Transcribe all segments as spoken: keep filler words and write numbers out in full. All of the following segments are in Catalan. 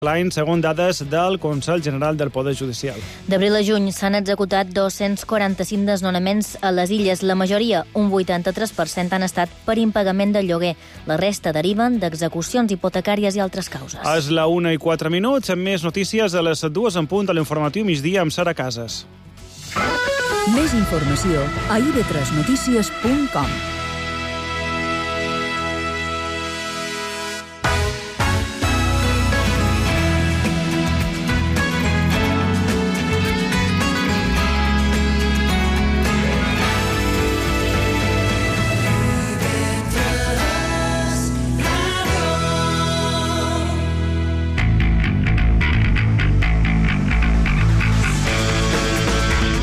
l'any, segons dades del Consell General del Poder Judicial. D'abril a juny s'han executat dos-cents quaranta-cinc desnonaments a les illes. La majoria, un vuitanta-tres per cent, han estat per impagament del lloguer. La resta deriven d'execucions hipotecàries i altres causes. És la una i quatre minuts, amb més notícies a les dues en punt a l'informatiu migdia amb Sara Casas. Més informació a i be tres notícies punt com.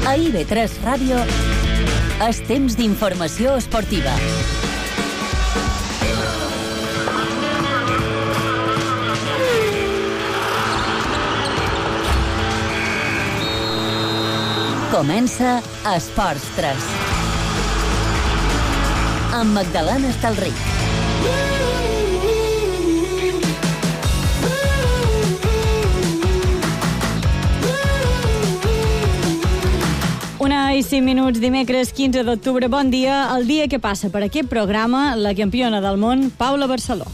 A i be tres Ràdio és temps d'informació esportiva. Comença Esports tres. Amb Magdalena Estalric. Una i cinc minuts, dimecres quinze d'octubre. Bon dia. El dia que passa per aquest programa, la campiona del món, Paula Barceló.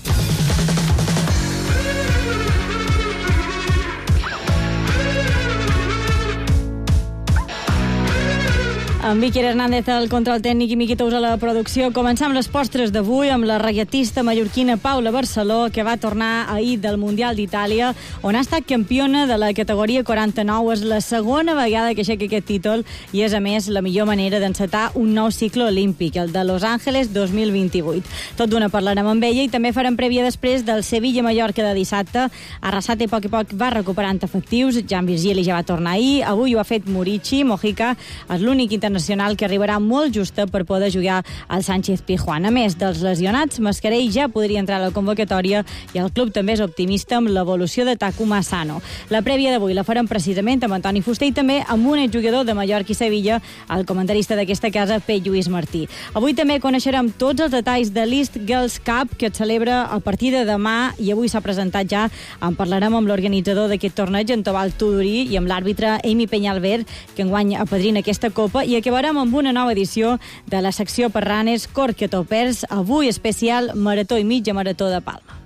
Amb Iker Hernández al control tècnic i Miqui Tous a la producció. Començam les postres d'avui amb la reiatista mallorquina Paula Barceló, que va tornar ahir del Mundial d'Itàlia, on ha estat campiona de la categoria quaranta-nou. És la segona vegada que aixeca aquest títol i és, a més, la millor manera d'encetar un nou cicle olímpic, el de Los Angeles dos mil vint-i-vuit. Tot d'una parlarem amb ella i també farem prèvia després del Sevilla-Mallorca de dissabte. Arrasate a poc a poc va recuperant efectius. Jan Virgili ja va tornar ahir. Avui ho ha fet Murici. Mojica és l'únic internacional nacional que arribarà molt justa per poder jugar al Sánchez Pizjuán. A més dels lesionats, Mascarell ja podria entrar a la convocatòria i el club també és optimista amb l'evolució de Takuma Asano. La prèvia d'avui la farem precisament amb Antoni Fuster i també amb un exjugador de Mallorca i Sevilla, el comentarista d'aquesta casa, Pep Lluís Martí. Avui també coneixerem tots els detalls de l'East Girls Cup, que es celebra a partir de demà i avui s'ha presentat ja. En parlarem amb l'organitzador d'aquest torneig, en Tobal Tudorí, i amb l'àrbitre Amy Peñalver, que enguany apadrina aquesta copa, i acabarem amb una nova edició de la secció per ranes Corque Topers, avui especial Marató i mitja Marató de Palma.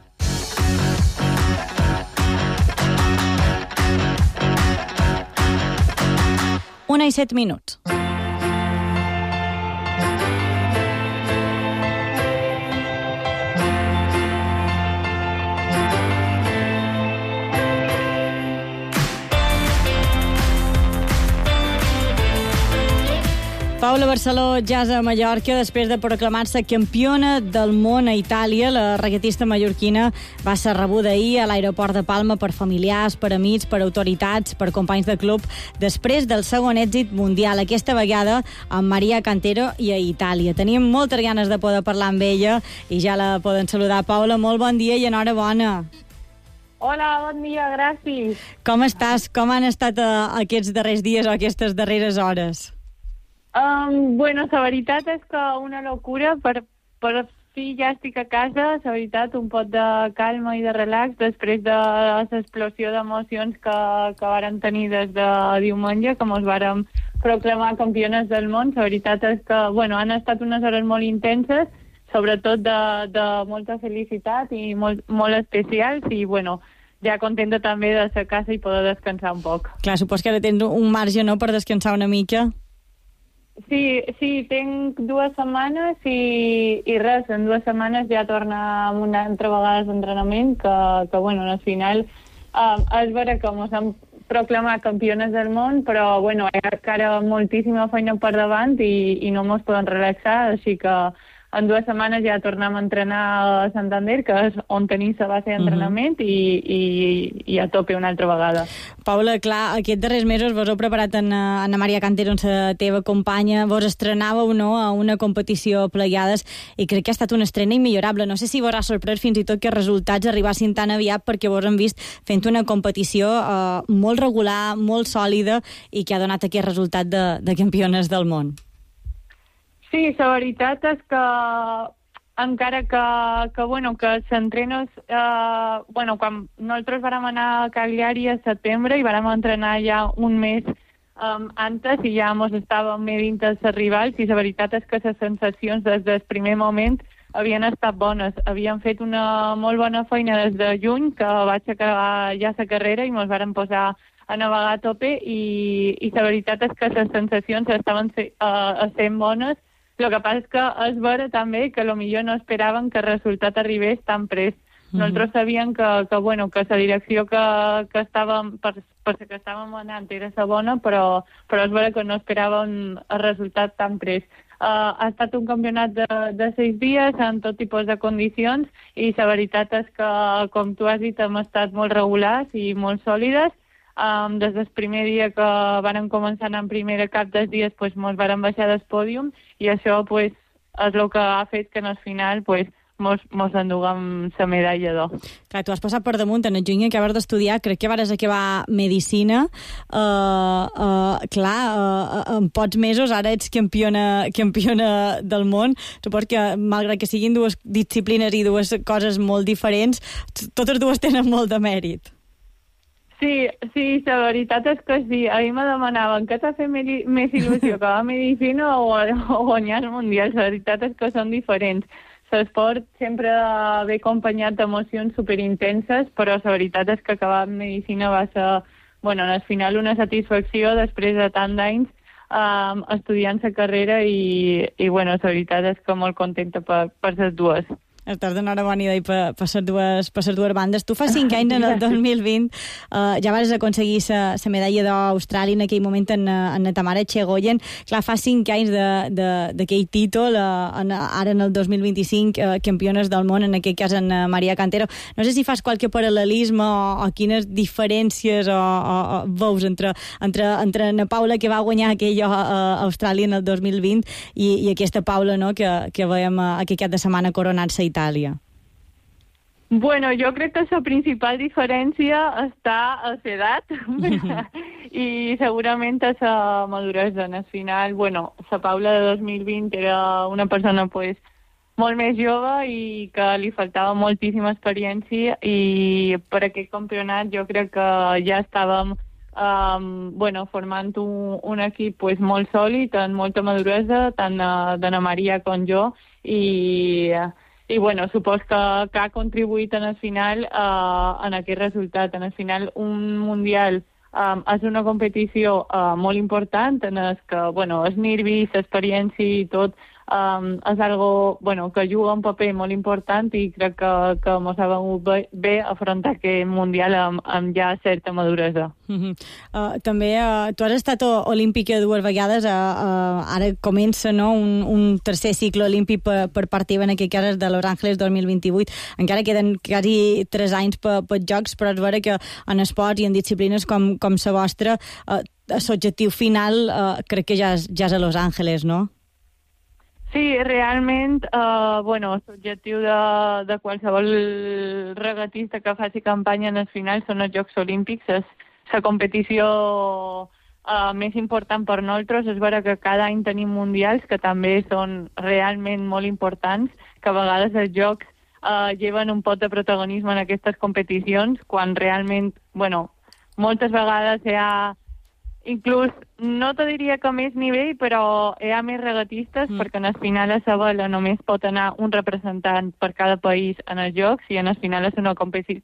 Una i set minuts. Paula Barceló ja és a Mallorca després de proclamar-se campiona del món a Itàlia. La regatista mallorquina va ser rebuda ahir a l'aeroport de Palma per familiars, per amics, per autoritats, per companys de club, després del segon èxit mundial, aquesta vegada amb Maria Cantero i a Itàlia. Teníem moltes ganes de poder parlar amb ella i ja la poden saludar. Paula, molt bon dia i enhorabona. Hola, bon dia, gràcies. Com estàs? Com han estat uh, aquests darrers dies o aquestes darreres hores? Um, bueno, la veritat és que una locura. Per, per fi ja estic a casa. La veritat, un pot de calma i de relax després de l'explosió d'emocions que, que vàrem tenir des de diumenge, que ens vàrem proclamar campiones del món. La veritat és que, bueno, han estat unes hores molt intenses, sobretot de, de molta felicitat i molt, molt especials, i, bueno, ja contenta també de ser a casa i poder descansar un poc. Clar, supos que ara tens un marge, no?, per descansar una mica. Sí, sí, tinc dues setmanes i, i res, en dues setmanes ja torna una altra vegada d'entrenament, que, que bueno, al final um, és vera que ens han proclamat campiones del món, però bueno, hi ha encara moltíssima feina per davant i, i no ens podem relaxar, així que en dues setmanes ja tornem a entrenar a Santander, que és on tenim la base d'entrenament, uh-huh. i, i, i a tope una altra vegada. Paula, clar, aquests darrers mesos vos heu preparat en Ana Maria Cantero, la teva companya, vos estrenàveu, no?, a una competició plegades, i crec que ha estat una estrena immillorable. No sé si vos ha sorprès fins i tot que els resultats arribassin tan aviat, perquè vos han vist fent una competició eh, molt regular, molt sòlida, i que ha donat aquest resultat de, de campiones del món. Sí, la veritat és que encara que, que, bueno, que s'entrenos... Eh, bueno, quan nosaltres vam anar a Cagliari a setembre i vam entrenar ja un mes um, antes i ja mos estàvem medint els rivals, i la veritat és que les sensacions des del primer moment havien estat bones. Havíem fet una molt bona feina des de juny, que vaig acabar ja la carrera i ens vàrem posar a navegar a tope, i, i la veritat és que les sensacions estaven uh, sent bones. El que passa és que és vera també que potser no esperaven que el resultat arribés tan prest. Mm-hmm. Nosaltres sabíem que, que, bueno, que la direcció que, que estàvem, per, per la que estàvem anant era la bona, però, però és vera que no esperàvem el resultat tan prest. Uh, ha estat un campionat de, de sis dies en tot tipus de condicions, i la veritat és que, com tu has dit, hem estat molt regulars i molt sòlides. Um, des del primer dia que varen començar en primera, cap dels dies pues, mos varen baixar del pòdium, i això pues, és el que ha fet que al final pues, mos, mos enduguem la medalla d'or. Clar, tu has passat per damunt, en el juny acabes d'estudiar, crec que vares acabar medicina, uh, uh, clar, uh, en pocs mesos ara ets campiona, campiona del món. Suposo que, malgrat que siguin dues disciplines i dues coses molt diferents, totes dues tenen molt de mèrit. Sí, sí, la veritat és que sí. A mi me demanaven què t'ha fet més il·lusió, acabar medicina o, o guanyar el Mundial. La veritat és que són diferents. L'esport sempre ve acompanyat d'emocions superintenses, però la veritat és que acabar medicina va ser, bueno, al final una satisfacció després de tant d'anys um, estudiant la carrera, i, i bueno, la veritat és que molt contenta per, per les dues. Estàs d'enhorabona i per, per, les dues, per les dues bandes. Tu fa cinc anys, en el dos mil vint, uh, ja vas aconseguir la medalla d'or a Austràlia, en aquell moment en, en Tamara Txegoyen. Clar, fa cinc anys d'aquell títol, uh, en, ara en el dos mil vint-i-cinc, uh, campiones del món, en aquest cas en uh, Maria Cantero. No sé si fas qualque paral·lelisme o, o quines diferències o, o, o veus entre, entre, entre na Paula, que va guanyar aquell a, a Austràlia en el dos mil vint, i, i aquesta Paula, no, que, que veiem uh, aquest cap de setmana coronant-se a Itàlia. Bueno, jo crec que la principal diferència està a l'edat i segurament a la maduresa. Al final, bueno, la Paula de dos mil vint era una persona pues, molt més jove i que li faltava moltíssima experiència, i per aquest campionat jo crec que ja estàvem um, bueno, formant un, un equip pues, molt sòlid, amb molta maduresa, tant d'Anna Maria com jo, i... I, bueno, supos que, que ha contribuït en el final uh, en aquest resultat. En el final, un Mundial um, és una competició uh, molt important, en el que, bueno, els nervis, l'experiència i tot um, és algo, bueno, que juga un paper molt important, i crec que, que mos ha vengut bé, bé afrontar aquest Mundial amb, amb ja certa maduresa. Uh-huh. Uh, també uh, tu has estat olímpica dues vegades, uh, uh, ara comença, no, un, un tercer cicle olímpic per, per part teva, en aquest cas és de Los Angeles dos mil vint-i-vuit. Encara queden quasi tres anys per, per jocs, però és vera que en esports i en disciplines com, com la vostra, uh, l'objectiu final uh, crec que ja és, ja és a Los Angeles, no? Sí, realment, eh, bueno, l'objectiu de, de qualsevol regatista que faci campanya en el final són els Jocs Olímpics. És la competició eh, més important per nosaltres. És vera que cada any tenim mundials, que també són realment molt importants, que a vegades els Jocs eh, lleven un pot de protagonisme en aquestes competicions, quan realment, bueno, moltes vegades hi ha... Inclús, no te diria que més nivell, però hi ha més regatistes, mm. perquè en el final a la vela només pot anar un representant per cada país en els Jocs, i en el final és una competi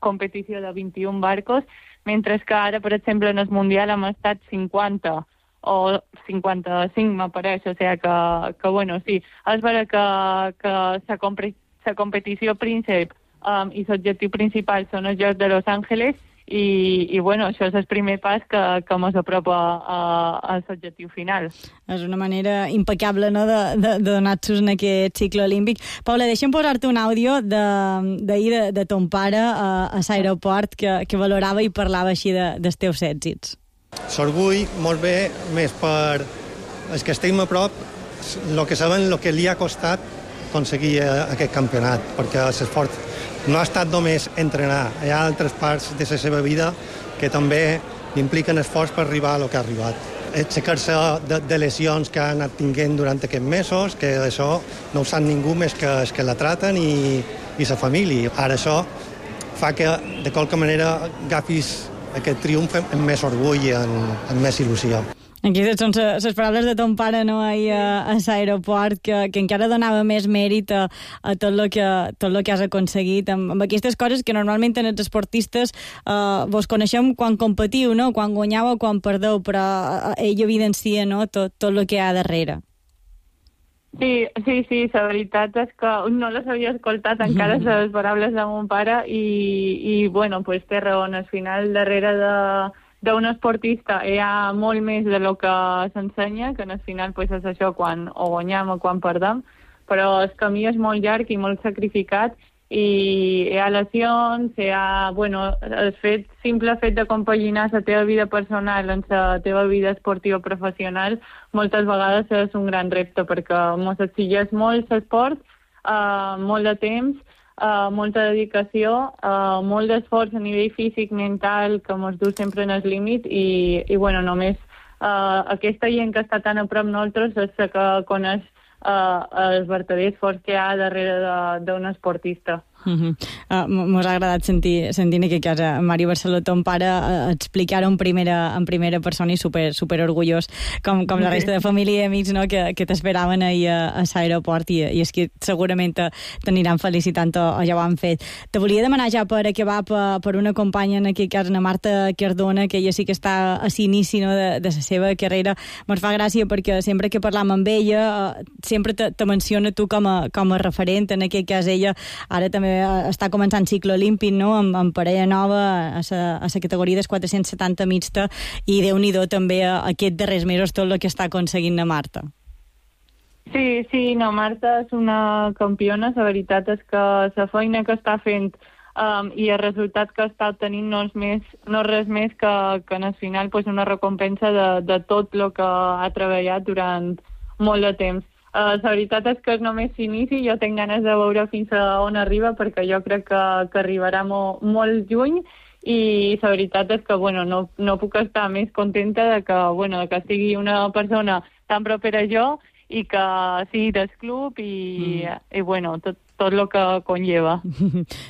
competició de vint-i-un barcos, mentre que ara, per exemple, en el Mundial hem estat cinquanta o cinquanta-cinc, m'apareix, o sigui que, que, bueno, sí, és vera que, que la compre competició príncep um, i l'objectiu principal són els Jocs de Los Angeles, I, i bueno, això és el primer pas que, que ens apropa a, a l'objectiu final. És una manera impecable, no?, de, de, de donar-nos en aquest cicle olímpic. Paula, deixa'm posar-te un àudio d'ahir de, de, de ton pare a, a l'aeroport, que, que valorava i parlava així de, dels teus èxits. S'orgull molt bé, més per els que estem a prop, el que saben el que li ha costat aconseguir aquest campionat, perquè l'esforç no ha estat només entrenar, hi ha altres parts de la seva vida que també impliquen esforç per arribar a lo que ha arribat. aixecar-se de, de lesions que han anat tinguent durant aquests mesos, que això no ho sap ningú més que, que la traten i, i sa família. Ara això fa que, de qualque manera, agafis aquest triomf amb més orgull i amb, amb més il·lusió. Aquestes són les paraules de ton pare, no, ahir a, a l'aeroport, que, que encara donava més mèrit a, a tot el que, tot lo que has aconseguit, amb, amb aquestes coses que normalment en els esportistes eh, vos coneixem quan competiu, no? Quan guanyeu o quan perdeu, però eh, ell evidencia, no? tot, tot el que hi ha darrere. Sí, sí, sí, la veritat és que no les havia escoltat encara les paraules de mon pare i, i bueno, pues té raó, al final darrere de d'un esportista hi ha molt més de lo que s'ensenya, que al final pues, és això quan o guanyem o quan perdem, però el camí és molt llarg i molt sacrificat i hi ha lesions, hi ha, bueno, el fet, simple fet de compaginar la teva vida personal amb la teva vida esportiva professional moltes vegades és un gran repte perquè ens exigeix molt l'esport, uh, molt de temps, Uh, molta dedicació, uh, molt d'esforç a nivell físic, mental, que ens du sempre en el límit i, i bueno, només uh, aquesta gent que està tan a prop nosaltres és la que coneix uh, el verdader esforç que hi ha darrere d'un esportista. Uh-huh. Uh, Mos ha agradat sentir, sentir en aquest cas a Mari Barceló, ton pare, uh, explicar-ho en primera, en primera persona i super, super orgullós, com, com la resta de família i amics, no? que, que t'esperaven ahir a, a l'aeroport i, i és que segurament t'aniran felicitant o, o ja ho han fet. Te volia demanar ja per acabar per, per una companya, en aquest cas, na Marta Cardona, que ella sí que està a l'inici, no? de, de la seva carrera. Me'n fa gràcia perquè sempre que parlam amb ella uh, sempre te, te menciona tu com a, com a referent, en aquest cas ella ara també està començant cicle olímpic, no? amb, amb parella nova a la categoria dels quatre-cents setanta mixta i Déu-n'hi-do també a, a aquests darrers mesos tot el que està aconseguint la Marta. Sí, sí, no, Marta és una campiona, la veritat és que la feina que està fent um, i el resultat que està obtenint no és, més, no és res més que, que en el final pues, una recompensa de, de tot el que ha treballat durant molt de temps. Uh, la veritat és que és només s'inici, jo tinc ganes de veure fins a on arriba perquè jo crec que, que arribarà mo, molt lluny i la veritat és que bueno, no, no puc estar més contenta de que, bueno, de que sigui una persona tan propera a jo i que sigui del club i, mm. i bueno, tot, tot el que conlleva.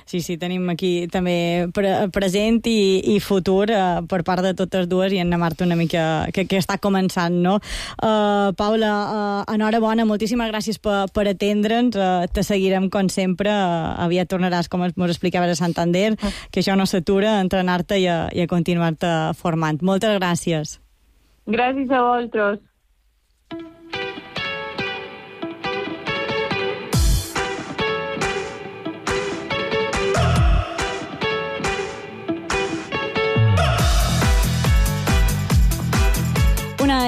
Sí, sí, tenim aquí també pre present i, i futur uh, per part de totes dues i en la Marta una mica que, que està començant, no? Uh, Paula, uh, enhorabona, moltíssimes gràcies per, per atendre'ns, uh, te seguirem com sempre, uh, aviat tornaràs, com ens explicaves, a Santander, uh. que això no s'atura, a entrenar-te i a, i a continuar-te formant. Moltes gràcies. Gràcies a vosaltres.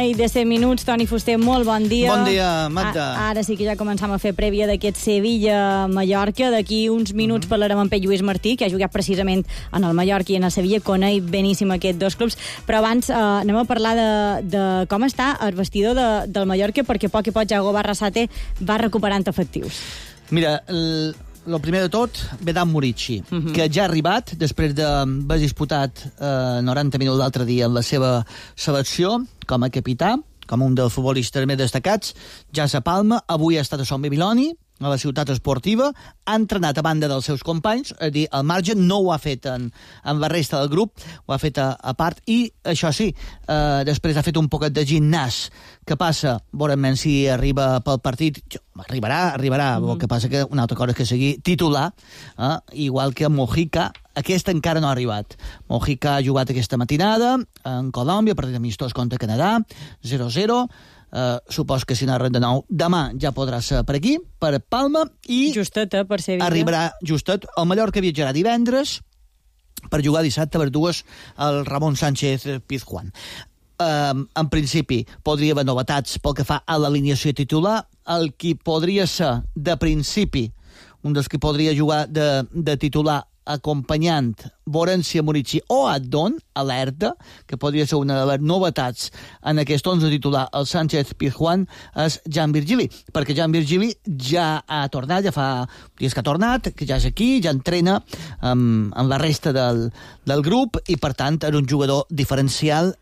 I de cent minuts, Toni Fuster, molt bon dia. Bon dia, Magda. A, ara sí que ja començam a fer prèvia d'aquest Sevilla-Mallorca. D'aquí uns minuts mm-hmm. parlarem amb Pep Lluís Martí, que ha jugat precisament en el Mallorca i en el Sevilla, coneix beníssim aquests dos clubs. Però abans eh, anem a parlar de, de com està el vestidor de, del Mallorca, perquè poc i poc Jago Barrasate va recuperant efectius. Mira, el... el primer de tot, Vedan Murici, uh-huh. que ja ha arribat, després d'haver disputat eh, noranta minuts l'altre dia en la seva selecció, com a capità, com un dels futbolistes més destacats, ja a Palma, avui ha estat a Son Babiloni, a la ciutat esportiva, ha entrenat a banda dels seus companys, és a dir, al marge, no ho ha fet en, en la resta del grup, ho ha fet a, a part, i això sí, eh, després ha fet un poquet de gimnàs. Què passa? Veurem si arriba pel partit, arribarà, arribarà, mm. el que passa que una altra cosa és que sigui titular, eh, igual que Mojica, aquest encara no ha arribat. Mojica ha jugat aquesta matinada en Colòmbia, partit amistós contra Canadà, zero a zero, Uh, supos que si no de nou demà ja podrà ser per aquí, per Palma, i justet, eh, per Sevilla. Arribarà justet. El Mallorca viatjarà divendres per jugar dissabte per dues al Ramon Sánchez Pizjuán. Uh, en principi podria haver novetats pel que fa a l'alineació titular. El qui podria ser de principi un dels que podria jugar de, de titular acompanyant Borussia Murici o Addon, alerta, que podria ser una de les novetats en aquest onze titular, el Sánchez Pizjuán, és Jan Virgili, perquè Jan Virgili ja ha tornat, ja fa dies que ha tornat, que ja és aquí, ja entrena amb, amb la resta del, del grup, i per tant és un jugador diferencial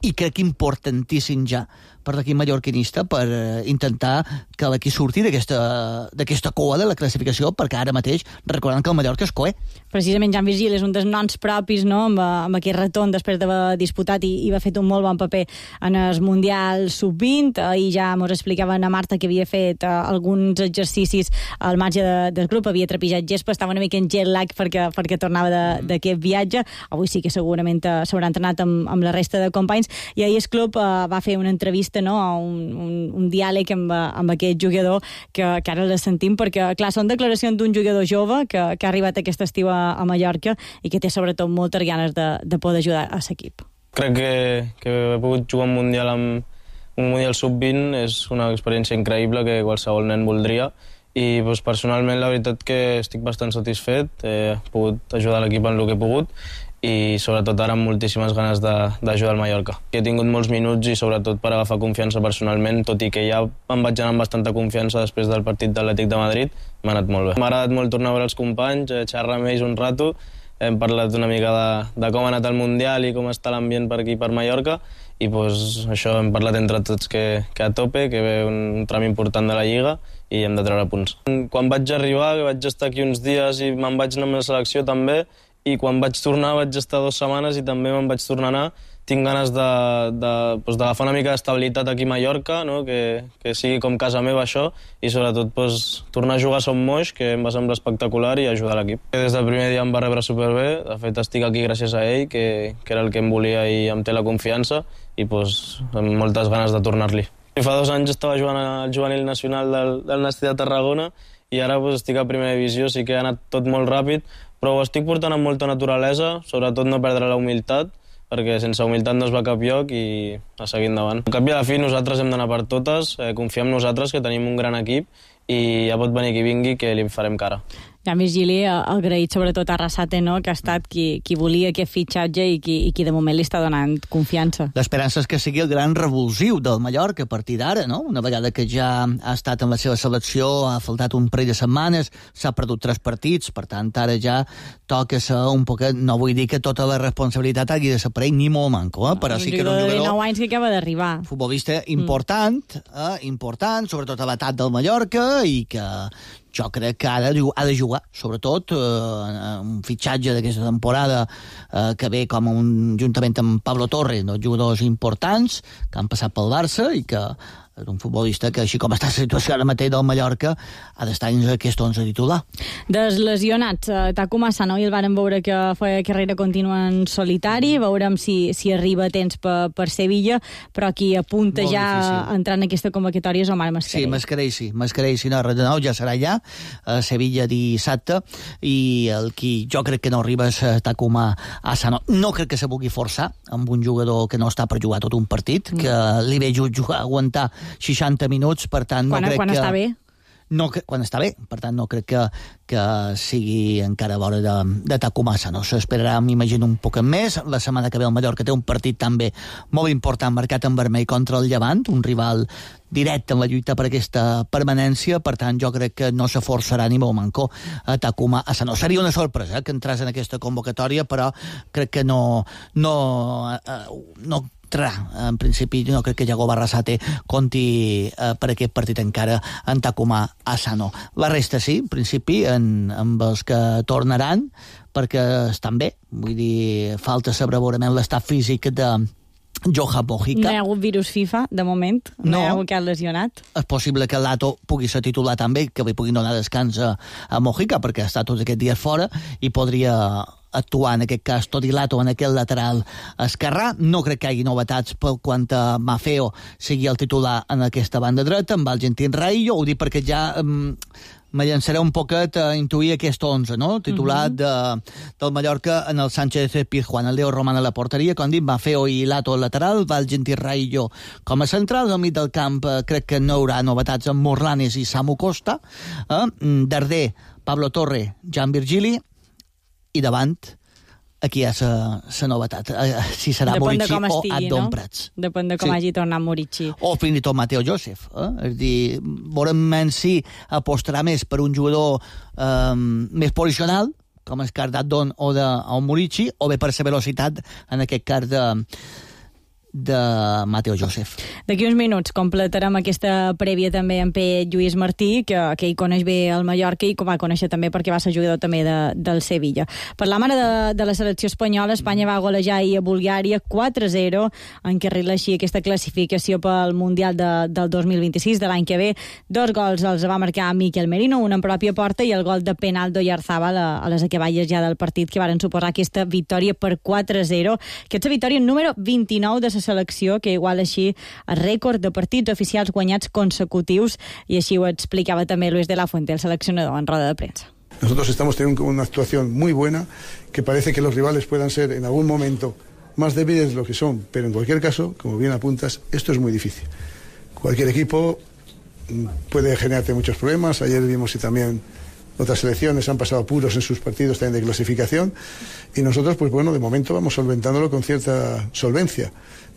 i crec que importantíssim ja per l'equip mallorquinista per eh, intentar que l'equip surti d'aquesta cua de la classificació, perquè ara mateix, recordant que el Mallorca és coer. Precisament Jan Virgili és un dels noms propis, no?, amb, amb aquest retorn després d'haver disputat i, i va fet un molt bon paper en el Mundial sub vint, i ja mos explicava a Marta que havia fet uh, alguns exercicis al marge de, del grup, havia trepitjat gespa, estava una mica en jet lag perquè, perquè tornava d'aquest viatge. Avui sí que segurament uh, s'haurà entrenat amb, amb la resta de companys, i ahir el club uh, va fer una entrevista, no? un, un, un diàleg amb, amb aquest jugador que, que ara la sentim, perquè clar, són declaracions d'un jugador jove que, que ha arribat aquest estiu a, a Mallorca i que té sobretot moltes ganes de, de poder ajudar a l'equip. Crec que, que he pogut jugar un Mundial amb un Mundial sub vint és una experiència increïble que qualsevol nen voldria, i doncs, personalment la veritat que estic bastant satisfet, he pogut ajudar l'equip en el que he pogut, i sobretot ara amb moltíssimes ganes d'ajudar al Mallorca. He tingut molts minuts i sobretot per agafar confiança personalment, tot i que ja em vaig anar amb bastanta confiança després del partit d'Atlètic de Madrid, m'ha anat molt bé. M'ha agradat molt tornar a veure els companys, xerrar amb ells un rato, hem parlat una mica de, de com ha anat el Mundial i com està l'ambient per aquí, per Mallorca, i doncs, això hem parlat entre tots que, que a tope, que ve un, un tram important de la Lliga i hem de treure punts. Quan vaig arribar, que vaig estar aquí uns dies i me'n vaig anar amb la selecció també, i quan vaig tornar vaig estar dues setmanes i també me'n vaig tornar a anar. Tinc ganes d'agafar doncs, una mica d'estabilitat aquí a Mallorca, no? que, que sigui com casa meva això, i sobretot doncs, tornar a jugar a Son Moix, que em va semblar espectacular, i ajudar l'equip. Des del primer dia em va rebre superbé, de fet estic aquí gràcies a ell, que, que era el que em volia i em té la confiança, i doncs, amb moltes ganes de tornar-li. Fa dos anys estava jugant al juvenil nacional del, del Nasti de Tarragona, i ara doncs, estic a primera divisió, sí que ha anat tot molt ràpid, però ho estic portant amb molta naturalesa, sobretot no perdre la humilitat, perquè sense humilitat no es va a cap lloc i a seguir endavant. Al cap i a la fi nosaltres hem d'anar per totes, eh, confiar en nosaltres, que tenim un gran equip, i ja pot venir qui vingui, que li farem cara. Jan Virgili, agraït sobretot a Arrasate, no?, que ha estat qui, qui volia aquest fitxatge i qui, i qui de moment li està donant confiança. L'esperança és que sigui el gran revulsiu del Mallorca a partir d'ara, no? Una vegada que ja ha estat en la seva selecció, ha faltat un parell de setmanes, s'ha perdut tres partits, per tant, ara ja toca ser un poquet, no vull dir que tota la responsabilitat hagi de ser per ell, ni molt manco, eh? Però sí que era un jugador... de dinou anys que acaba d'arribar. Futbolista important, mm. eh? important, sobretot a l'atac del Mallorca, i que jo crec que ara ha de jugar, sobretot eh, un fitxatge d'aquesta temporada eh, que ve com un, juntament amb Pablo Torre, dos jugadors importants que han passat pel Barça i que és un futbolista que, així com està la situació ara mateix del Mallorca, ha d'estar en aquest onze titular. Dels lesionats, Takuma Asano, i el vàrem veure que feia carrera contínua en solitari, veurem si, si arriba a temps per, per Sevilla, però qui apunta molt ja difícil a entrar en aquesta convocatòria és Omar Mascarell. Sí, Mascarell sí, Mascarell sí, no, res de nou, ja serà allà, a Sevilla dissabte, i el qui jo crec que no arriba és Takuma Asano. No crec que se pugui forçar amb un jugador que no està per jugar tot un partit, que li ve jugar, aguantar seixanta minuts, per tant no quan, crec quan que... està bé? No, quan està bé, per tant no crec que, que sigui encara l'hora de, de Takuma Asano. S'esperarà, m'imagino, un poc més. La setmana que ve el Mallorca té un partit també molt important, marcat en vermell contra el Llevant, un rival directe en la lluita per aquesta permanència, per tant jo crec que no se forçarà ni molt manco a Takuma Asano. Seria una sorpresa eh, que entrés en aquesta convocatòria, però crec que no no, eh, no en principi no crec que Yago Barrasate conti eh, per aquest partit encara en Takuma Asano. La resta sí, en principi, en, amb els que tornaran, perquè estan bé. Vull dir, falta saber veurament l'estat físic de Johan Mojica. No hi ha hagut virus FIFA, de moment? No, no hi ha hagut cap lesionat? És possible que Lato pugui ser titular també, que li puguin donar descans a, a Mojica, perquè ha estat tots aquests dies fora i podria actuar en aquest cas tot i Lato en aquest lateral esquerrà. No crec que hi hagi novetats pel quant a Mafeo sigui el titular en aquesta banda dreta, amb el Gentín Raillo. Ho dic perquè ja um, me llançaré un poquet a intuir aquest onze, no? Titular uh-huh. de, del Mallorca en el Sánchez Pizjuán, el Leo Roman a la porteria, com dic, Mafeo i Lato al lateral, va el Gentín Raillo com a central, al mig del camp eh, crec que no hi haurà novetats amb Morlanes i Samu Costa, eh? Darder, Pablo Torre, Jan Virgili, i davant aquí hi ha la novetat, si serà Depèn Murici o estigui, Adon no? Prats. Depèn de com sí. hagi tornat Murici. O fins i tot Mateo Joseph. Eh? És dir, veurem si apostarà més per un jugador eh, més posicional, com és cas d'Adon o de o Murici, o bé per la velocitat, en aquest cas de de Mateo Joseph. D'aquí uns minuts completarem aquesta prèvia també amb P. Lluís Martí, que, que hi coneix bé el Mallorca i que va conèixer també perquè va ser jugador també de, del Sevilla. Parlam ara de, de la selecció espanyola. Espanya va golejar ahir a Bulgària quatre a zero, encarrila així aquesta classificació pel Mundial de, del dos mil vint-i-sis, de l'any que ve. Dos gols els va marcar Miquel Merino, un en pròpia porta i el gol de penal d'Oyarzabal a, a les acaballes ja del partit, que varen suposar aquesta victòria per quatre a zero. Aquesta victòria número vint-i-nou de la selecció, que iguala així el rècord de partits oficials guanyats consecutius, i així ho explicava també Luis de la Fuente, el seleccionador, en roda de premsa. Nosotros estamos teniendo una actuación muy buena, que parece que los rivales puedan ser en algún momento más débiles de lo que son, pero en cualquier caso, como bien apuntas, esto es muy difícil. Cualquier equipo puede generarte muchos problemas. Ayer vimos y también otras selecciones han pasado apuros en sus partidos también de clasificación, y nosotros, pues bueno, de momento vamos solventándolo con cierta solvencia,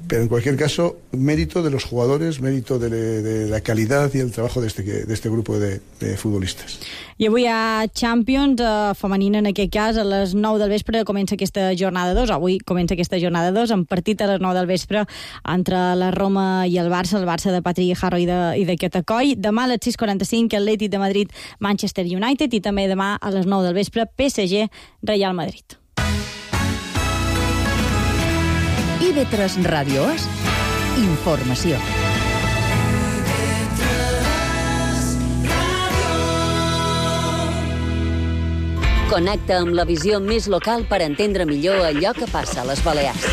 pero en cualquier caso, mérito de los jugadores, mérito de, de la calidad y el trabajo de este, de este grupo de, de futbolistas. I avui hi ha Champions, eh, femenina en aquest cas, a les nou del vespre comença aquesta jornada dos, avui comença aquesta jornada dos, amb partit a les nou del vespre entre la Roma i el Barça, el Barça de Patri Jarro i de, i de Catacoi. Demà a les sis quaranta-cinc, Atlètic de Madrid, Manchester United, i també demà a les nou del vespre, P S G, Real Madrid. I V tres Ràdio és informació. Connecta amb la visió més local per entendre millor allò que passa a les Balears.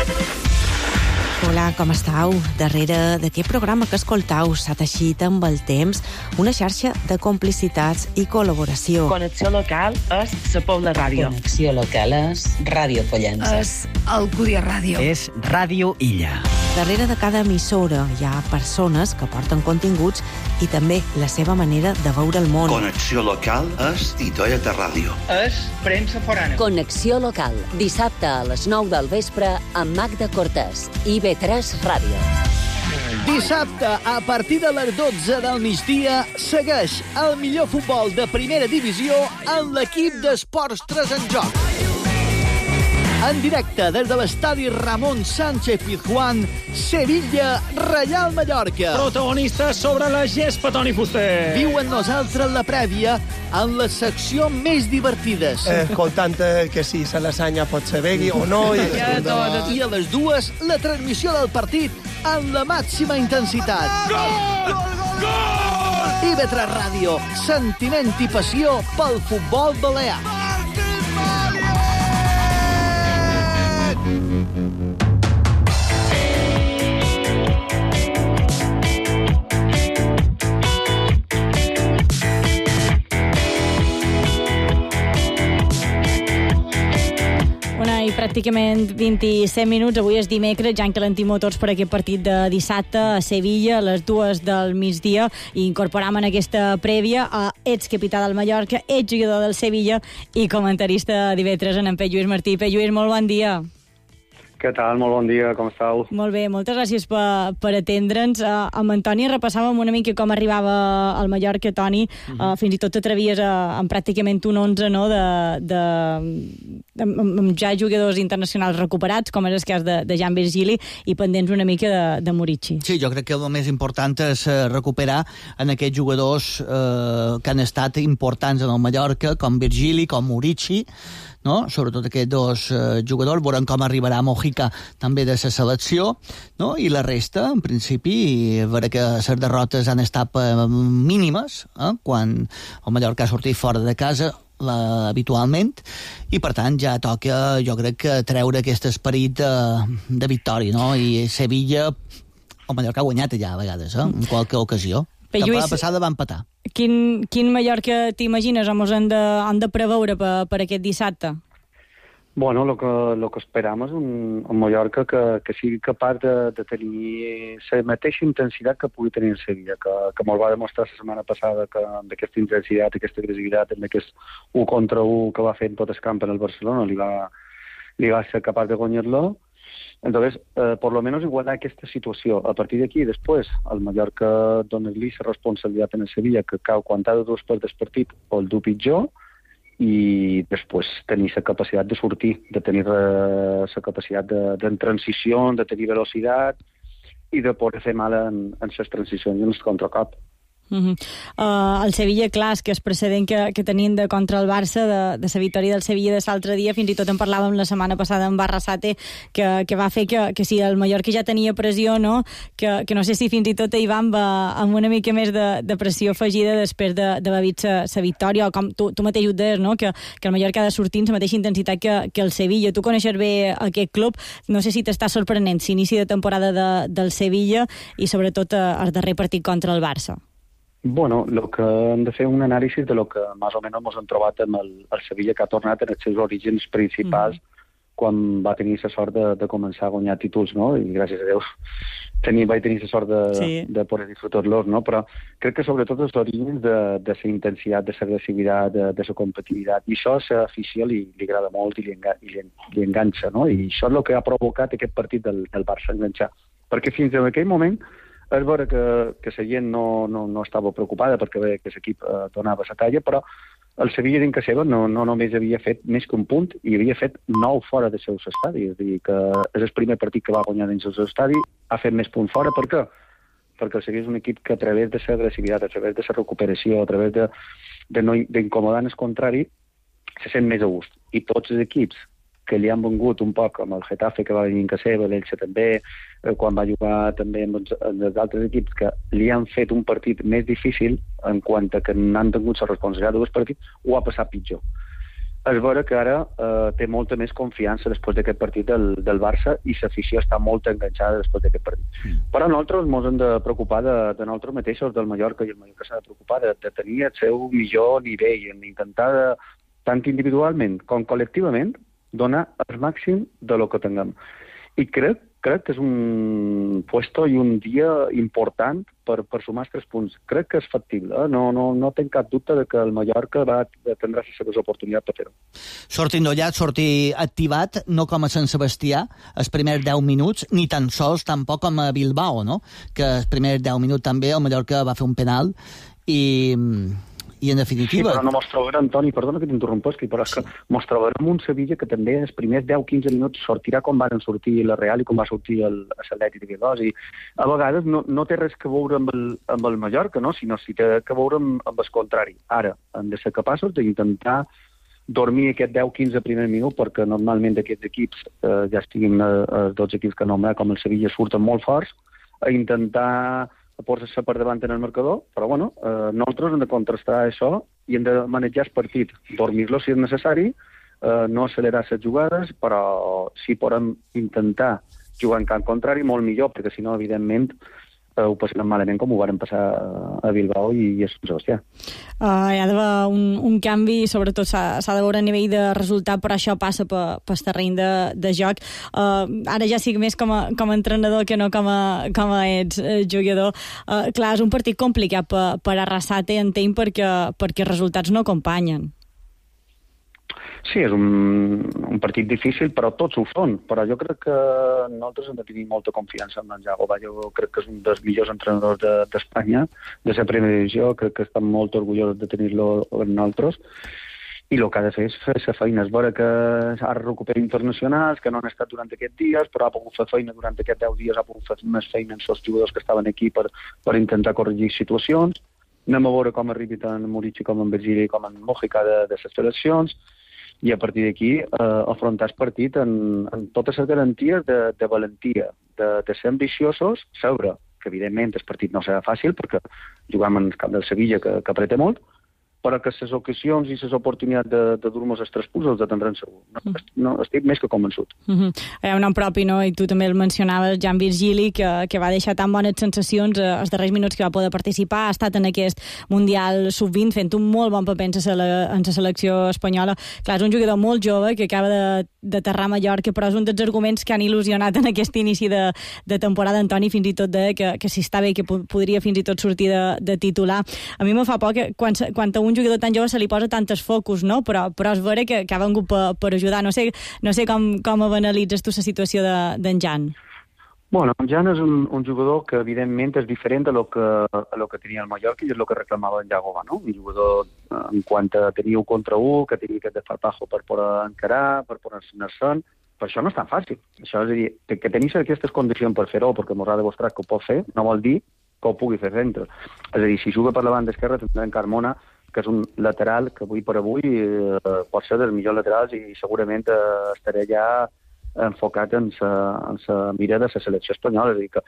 Hola, com estàu? Darrere d'aquest programa que escoltau s'ha teixit amb el temps una xarxa de complicitats i col·laboració. Connexió local és la Pobla Ràdio. Connexió local és Ràdio Pollença. És Alcúdia Ràdio. És Ràdio Illa. Darrere de cada emissora hi ha persones que porten continguts i també la seva manera de veure el món. Connexió local és Titoia de Ràdio. És premsa forana. Connexió local, dissabte a les nou del vespre amb Magda Cortés, I V tres Ràdio. Dissabte, a partir de les dotze del migdia, segueix el millor futbol de primera divisió en l'equip d'Esports tres en Joc. En directe des de l'estadi Ramon Sánchez Pizjuán, Sevilla, Reial Mallorca. Protagonista sobre la gespa, Toni Fuster. Viu amb nosaltres la prèvia en la secció més divertides. Eh, escoltant que si se lasanya pot ser begui o no. I, I a les dues, la transmissió del partit amb la màxima intensitat. Gol! Gol! I V tres Ràdio, sentiment i passió pel futbol balear. I pràcticament vint-i-set minuts. Avui és dimecres, ja encalentim motors per aquest partit de dissabte a Sevilla, a les dues del migdia, i incorporam en aquesta prèvia a ets capità del Mallorca, ets jugador del Sevilla i comentarista d'I V tres en P. Lluís Martí. P. Lluís, molt bon dia. Què tal? Molt bon dia, com estàu? Molt bé, moltes gràcies per, per atendre'ns. Uh, amb Antoni repassàvem una mica com arribava al Mallorca, Toni. Uh, uh, fins i tot t'atrevies a, amb pràcticament un onze, no?, de, de, amb, amb ja jugadors internacionals recuperats, com és el cas de, de Jan Virgili, i pendents una mica de, de Murici. Sí, jo crec que el més important és recuperar en aquests jugadors eh, que han estat importants en el Mallorca, com Virgili, com Murici, no? Sobretot aquests dos eh, jugadors. Veurem com arribarà Mojica també de la selecció, no? I la resta, en principi, a veure que les derrotes han estat eh, mínimes, eh? Quan el Mallorca ha sortit fora de casa la, habitualment, i per tant ja toca, jo crec, que treure aquest esperit de, de victòria, no? I Sevilla, el Mallorca ha guanyat allà a vegades, eh? En qualque ocasió. La temporada passada va empatar. Quin, quin Mallorca t'imagines o mos han de, han de preveure per, per aquest dissabte? Bueno, el que, lo que esperam és un, un Mallorca que, que sigui capaç de, de tenir la mateixa intensitat que pugui tenir el Sevilla, que, que molt va demostrar la setmana passada que amb aquesta intensitat, aquesta agressivitat, amb aquest u contra u que va fer en tot el camp en el Barcelona, li va, li va ser capaç de guanyar-lo. Entonces, eh, por lo menos igualar aquesta situació. A partir d'aquí, després, el Mallorca dona-li la responsabilitat en el Sevilla, que cau quan ha de dos per del partit o el du pitjor, i després tenir la capacitat de sortir, de tenir la capacitat de, de transició, de tenir velocitat, i de poder fer mal en, en les transicions i en el contracop. Uh -huh. uh, el Sevilla, clar, és que és precedent que, que tenien de contra el Barça, de, de la victòria del Sevilla de l'altre dia, fins i tot en parlàvem la setmana passada amb Barrasate, que, que va fer que, que si el Mallorca ja tenia pressió, no? Que, que no sé si fins i tot Ivan va amb una mica més de, de pressió afegida després de, de haver vist la victòria, o com tu, tu mateix ho deies, no? Que, que el Mallorca ha de sortir amb la mateixa intensitat que, que el Sevilla. Tu coneixes bé aquest club, no sé si t'està sorprenent l'inici de temporada de, del Sevilla i sobretot el darrer partit contra el Barça. Bueno, lo que hem de fer un anàlisi de lo que més o menys ens hem trobat amb el, el Sevilla, que ha tornat en els seus orígens principals mm. quan va tenir la sort de, de començar a guanyar títols, no? I gràcies a Déu tenir, vaig tenir la sort de, sí. de poder disfrutar-los, no? Però crec que sobretot els orígens de, de la intensitat, de l'agressivitat, de, de la competitivitat, i això a l'afició li, li agrada molt i li, enga, i li, li enganxa, no? I això és el que ha provocat aquest partit del, del Barça enganxar. Perquè fins en aquell moment és vera que, que la gent no, no, no estava preocupada perquè veia que l'equip eh, donava la talla, però el Sevilla dins casa seva no, no només havia fet més que un punt, i havia fet nou fora dels seus estadis. És a dir, que és el primer partit que va guanyar dins el seu estadi, ha fet més punts fora. Per què? Perquè el Sevilla és un equip que a través de l'agressivitat, a través de la recuperació, a través de, de no, d'incomodar el contrari, se sent més a gust. I tots els equips que li han vengut un poc, amb el Getafe, que va venir en casa seva, l'Elche també, eh, quan va jugar també amb els, amb els altres equips, que li han fet un partit més difícil en quant a que n'han tingut la responsabilitat dels partits, ho ha passat pitjor. És vera que ara eh, té molta més confiança després d'aquest partit del, del Barça, i l'afició està molt enganxada després d'aquest partit. Mm. Però nosaltres ens hem de preocupar de, de nosaltres mateixos, del Mallorca, i el Mallorca s'ha de preocupar de, de tenir el seu millor nivell, en intentar, de, tant individualment com col·lectivament, donar el màxim de lo que tinguem. I crec, crec que és un puesto i un dia important per, per sumar els tres punts. Crec que és factible. Eh? No, no, no tinc cap dubte de que el Mallorca va tindrà les seves oportunitats per fer-ho. Sortir endollat, sortir activat, no com a Sant Sebastià, els primers deu minuts, ni tan sols tampoc com a Bilbao, no? Que els primers deu minuts també el Mallorca va fer un penal i... I en definitiva... Sí, però no mos trobarem, Toni, perdona que t'interrompesqui, però és que mos trobarem un Sevilla que també els primers deu quinze minuts sortirà com van sortir la Real i com va sortir el l'Atlètic de Bilbao. I a vegades no, no té res que veure amb el, amb el Mallorca, no? Sinó si té que veure amb, amb el contrari. Ara, hem de ser capaços d'intentar dormir aquest deu quinze primer minut, perquè normalment d'aquests equips, eh, ja estiguin eh, els dos equips que nombrem, com el Sevilla, surten molt forts, a intentar a posar-se per davant en el marcador, però bueno, eh, nosaltres hem de contrastar això i hem de manejar el partit, dormir-lo si és necessari, eh, no accelerar les jugades, però si podem intentar jugar en camp contrari, molt millor, perquè si no, evidentment, eh, ho passarem malament com ho varen passar a Bilbao i a Sant Sebastià. Uh, hi ha d'haver un, un canvi, sobretot s'ha de veure a nivell de resultat, però això passa pel pe, terreny de, de joc. Uh, ara ja sigui més com a, com a entrenador que no com a, com a ets uh, jugador. Uh, clar, és un partit complicat per, per Arrasate, entenc, perquè, perquè els resultats no acompanyen. Sí, és un, un partit difícil, però tots ho són. Però jo crec que nosaltres hem de tenir molta confiança en en Jagoba. Jo crec que és un dels millors entrenadors d'Espanya, de, de la primera divisió. Crec que estem molt orgullosos de tenir-lo en nosaltres. I el que ha de fer és fer la feina. És vera que ha recuperat internacionals, que no han estat durant aquests dies, però ha pogut fer feina durant aquests deu dies, ha pogut fer més feina amb els jugadors que estaven aquí per, per intentar corregir situacions. Anem a veure com arribi tant Murici com en Virgili com en Mojica de, de les seleccions, i a partir d'aquí eh, afrontar el partit en, en totes les garanties de, de valentia, de, de ser ambiciosos, saber que evidentment el partit no serà fàcil perquè juguem en el camp del Sevilla que, que apreta molt, però que les ocasions i les oportunitats de, de dur-nos els tres punts els atendran segur. No, no, estic més que convençut. Uh -huh. Hi ha un nom propi, no? I tu també el mencionaves, Jan Virgili, que, que va deixar tan bones sensacions eh, els darrers minuts que va poder participar, ha estat en aquest Mundial sub vint fent un molt bon paper en la, en la selecció espanyola. Clar, és un jugador molt jove que acaba de d'aterrar a Mallorca, però és un dels arguments que han il·lusionat en aquest inici de, de temporada. Antoni fins i tot de que, que si està bé, que podria fins i tot sortir de, de titular. A mi me fa por que quan, quan a un jugador tan jove se li posa tantes focus, no? Però, però és vera que, que ha vengut per, per ajudar. No sé, no sé com, com analitzes tu la situació d'en de, Jan. Bueno, en Jan és un, un jugador que evidentment és diferent a lo que, a lo que tenia el Mallorca i és el que reclamava en Jagoba, no? Un jugador en quant a tenir un contra un, que tenia aquest desparpajo per poder encarar, per poder anar-se'n, Per això no és tan fàcil. Això és a dir, que, que tenis aquestes condicions per fer-ho, perquè m'ho ha demostrat que ho pot fer, no vol dir que ho pugui fer centre. És a dir, si juga per la banda esquerra, tindrem Carmona, que és un lateral que avui per avui eh, pot ser dels millors laterals i segurament eh, estaré ja enfocat en la mira de la selecció espanyola. És a dir, que,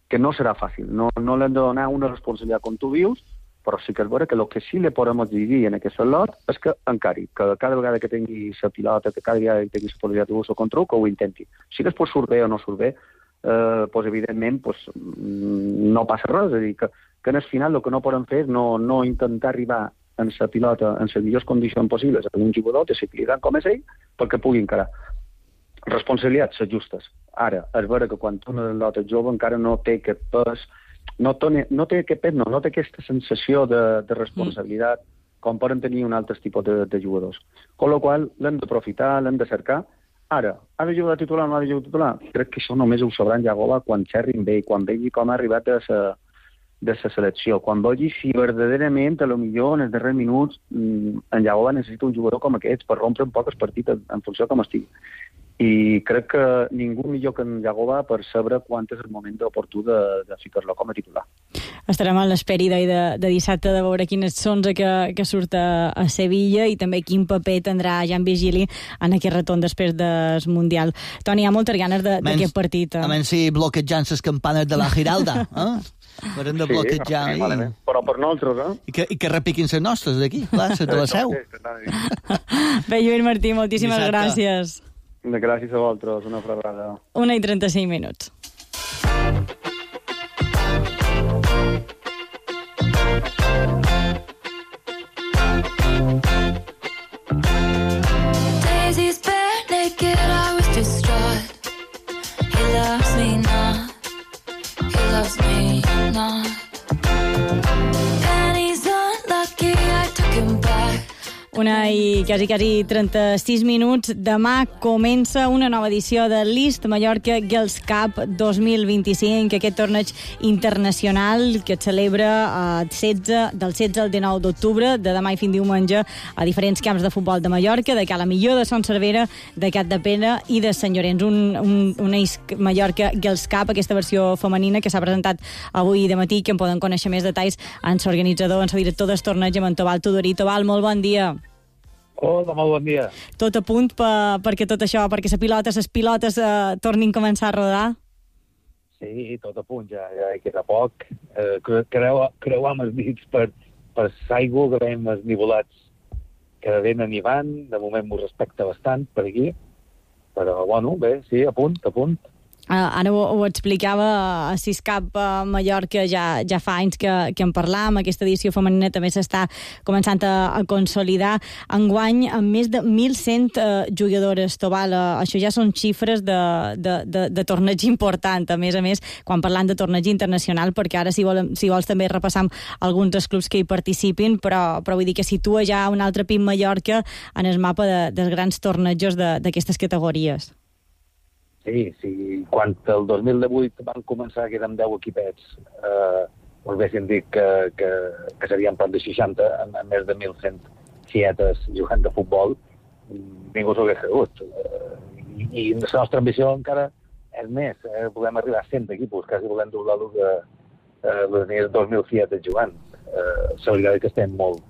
que no serà fàcil. No, no l'hem de donar una responsabilitat com tu dius, però sí que és vera que el que sí li podem exigir en aquest lot és que encari, que cada vegada que tingui la pilota, que cada vegada que tingui la possibilitat de o contra, que ho intenti. Si després surt bé o no surt bé, eh, doncs evidentment doncs, no passa res. És a dir, que, que en el final el que no podem fer és no, no intentar arribar en la pilota en les millors condicions possibles a un jugador desequilibrant com és ell perquè pugui encarar. Responsabilitats justes. Ara, és vera que quan una pilota jove encara no té aquest pes, no té, no té aquest pes, no, no té aquesta sensació de, de responsabilitat mm. com poden tenir un altre tipus de, de jugadors. Con la qual l'hem d'aprofitar, l'hem de cercar. Ara, ha de jugar de titular o no ha de jugar de titular? Crec que això només ho sabran Jagoba quan xerrin bé, quan vegi com ha arribat a sa, de la selecció, quan vegi si verdaderament, a lo millor, en els darrers minuts, en Jagoba necessita un jugador com aquests per rompre un poc el partit en funció com estigui. I crec que ningú millor que en Jagoba per saber quan és el moment oportú de, de ficar-lo com a titular. Estarem a l'esperi de, de dissabte de veure quin és l'onze que, que surt a, a Sevilla i també quin paper tindrà Jan Vigili en aquest retorn després del Mundial. Toni, hi ha moltes ganes d'aquest partit. Eh? A menys si bloquejant les campanes de la Giralda, eh? Per hem de bloquejar. Sí, i... però per nosaltres, eh? I que, i que repiquin les nostres d'aquí, clar, les de la Seu. Bé, Lluís Martí, moltíssimes dissabte. Gràcies. Gràcies a vosaltres, una abraçada. Una i trenta-cinc minuts. Daisy's bare naked, I was distraught. He loves me not, he loves me not. Penny's unlucky, I took him back. Una i quasi, quasi trenta-sis minuts. Demà comença una nova edició de List Mallorca Girls Cup dos mil vint-i-cinc, aquest torneig internacional que es celebra eh, setze, del setze al dinou d'octubre, de demà i fins diumenge, a diferents camps de futbol de Mallorca, de Cala Millor, de Son Cervera, de Capdepera i de Sant Llorenç. Un, un, una Mallorca Girls Cup, aquesta versió femenina que s'ha presentat avui de matí, que en poden conèixer més detalls en l'organitzador, en el director del torneig, en Tobal Tudorí. Tobal, molt bon dia. Hola, molt bon dia. Tot a punt per, perquè tot això, perquè la pilota, les pilotes eh, tornin a començar a rodar? Sí, tot a punt, ja, ja queda poc. Eh, creu, creuam els dits per, per l'aigua que veiem els nivolats que venen i van. De moment m'ho respecta bastant per aquí. Però, bueno, bé, sí, a punt, a punt. Uh, ara ho, ho explicava a Siscap a Mallorca, ja, ja fa anys que, que en parlam, aquesta edició femenina també s'està començant a, a consolidar. Enguany, amb més de mil cent uh, jugadores, Tobal, uh, això ja són xifres de, de, de, de torneig important, a més a més, quan parlant de torneig internacional, perquè ara, si, vol, si vols, també repassam alguns dels clubs que hi participin, però, però vull dir que situa ja un altre P I M Mallorca en el mapa de, dels grans tornejos d'aquestes categories. Sí, sí. Quan el dos mil divuit van començar, que érem deu equipets, eh, us haguéssim dit que, que, que serien prop de seixanta, amb, amb més de mil cent xietes jugant de futbol, ningú s'ho hagués cregut. Eh, i, I la nostra ambició encara és més. Eh, volem arribar a cent equipos, quasi volem doblar el que eh, les nies dos mil xietes jugant. Eh, la veritat és que estem molt,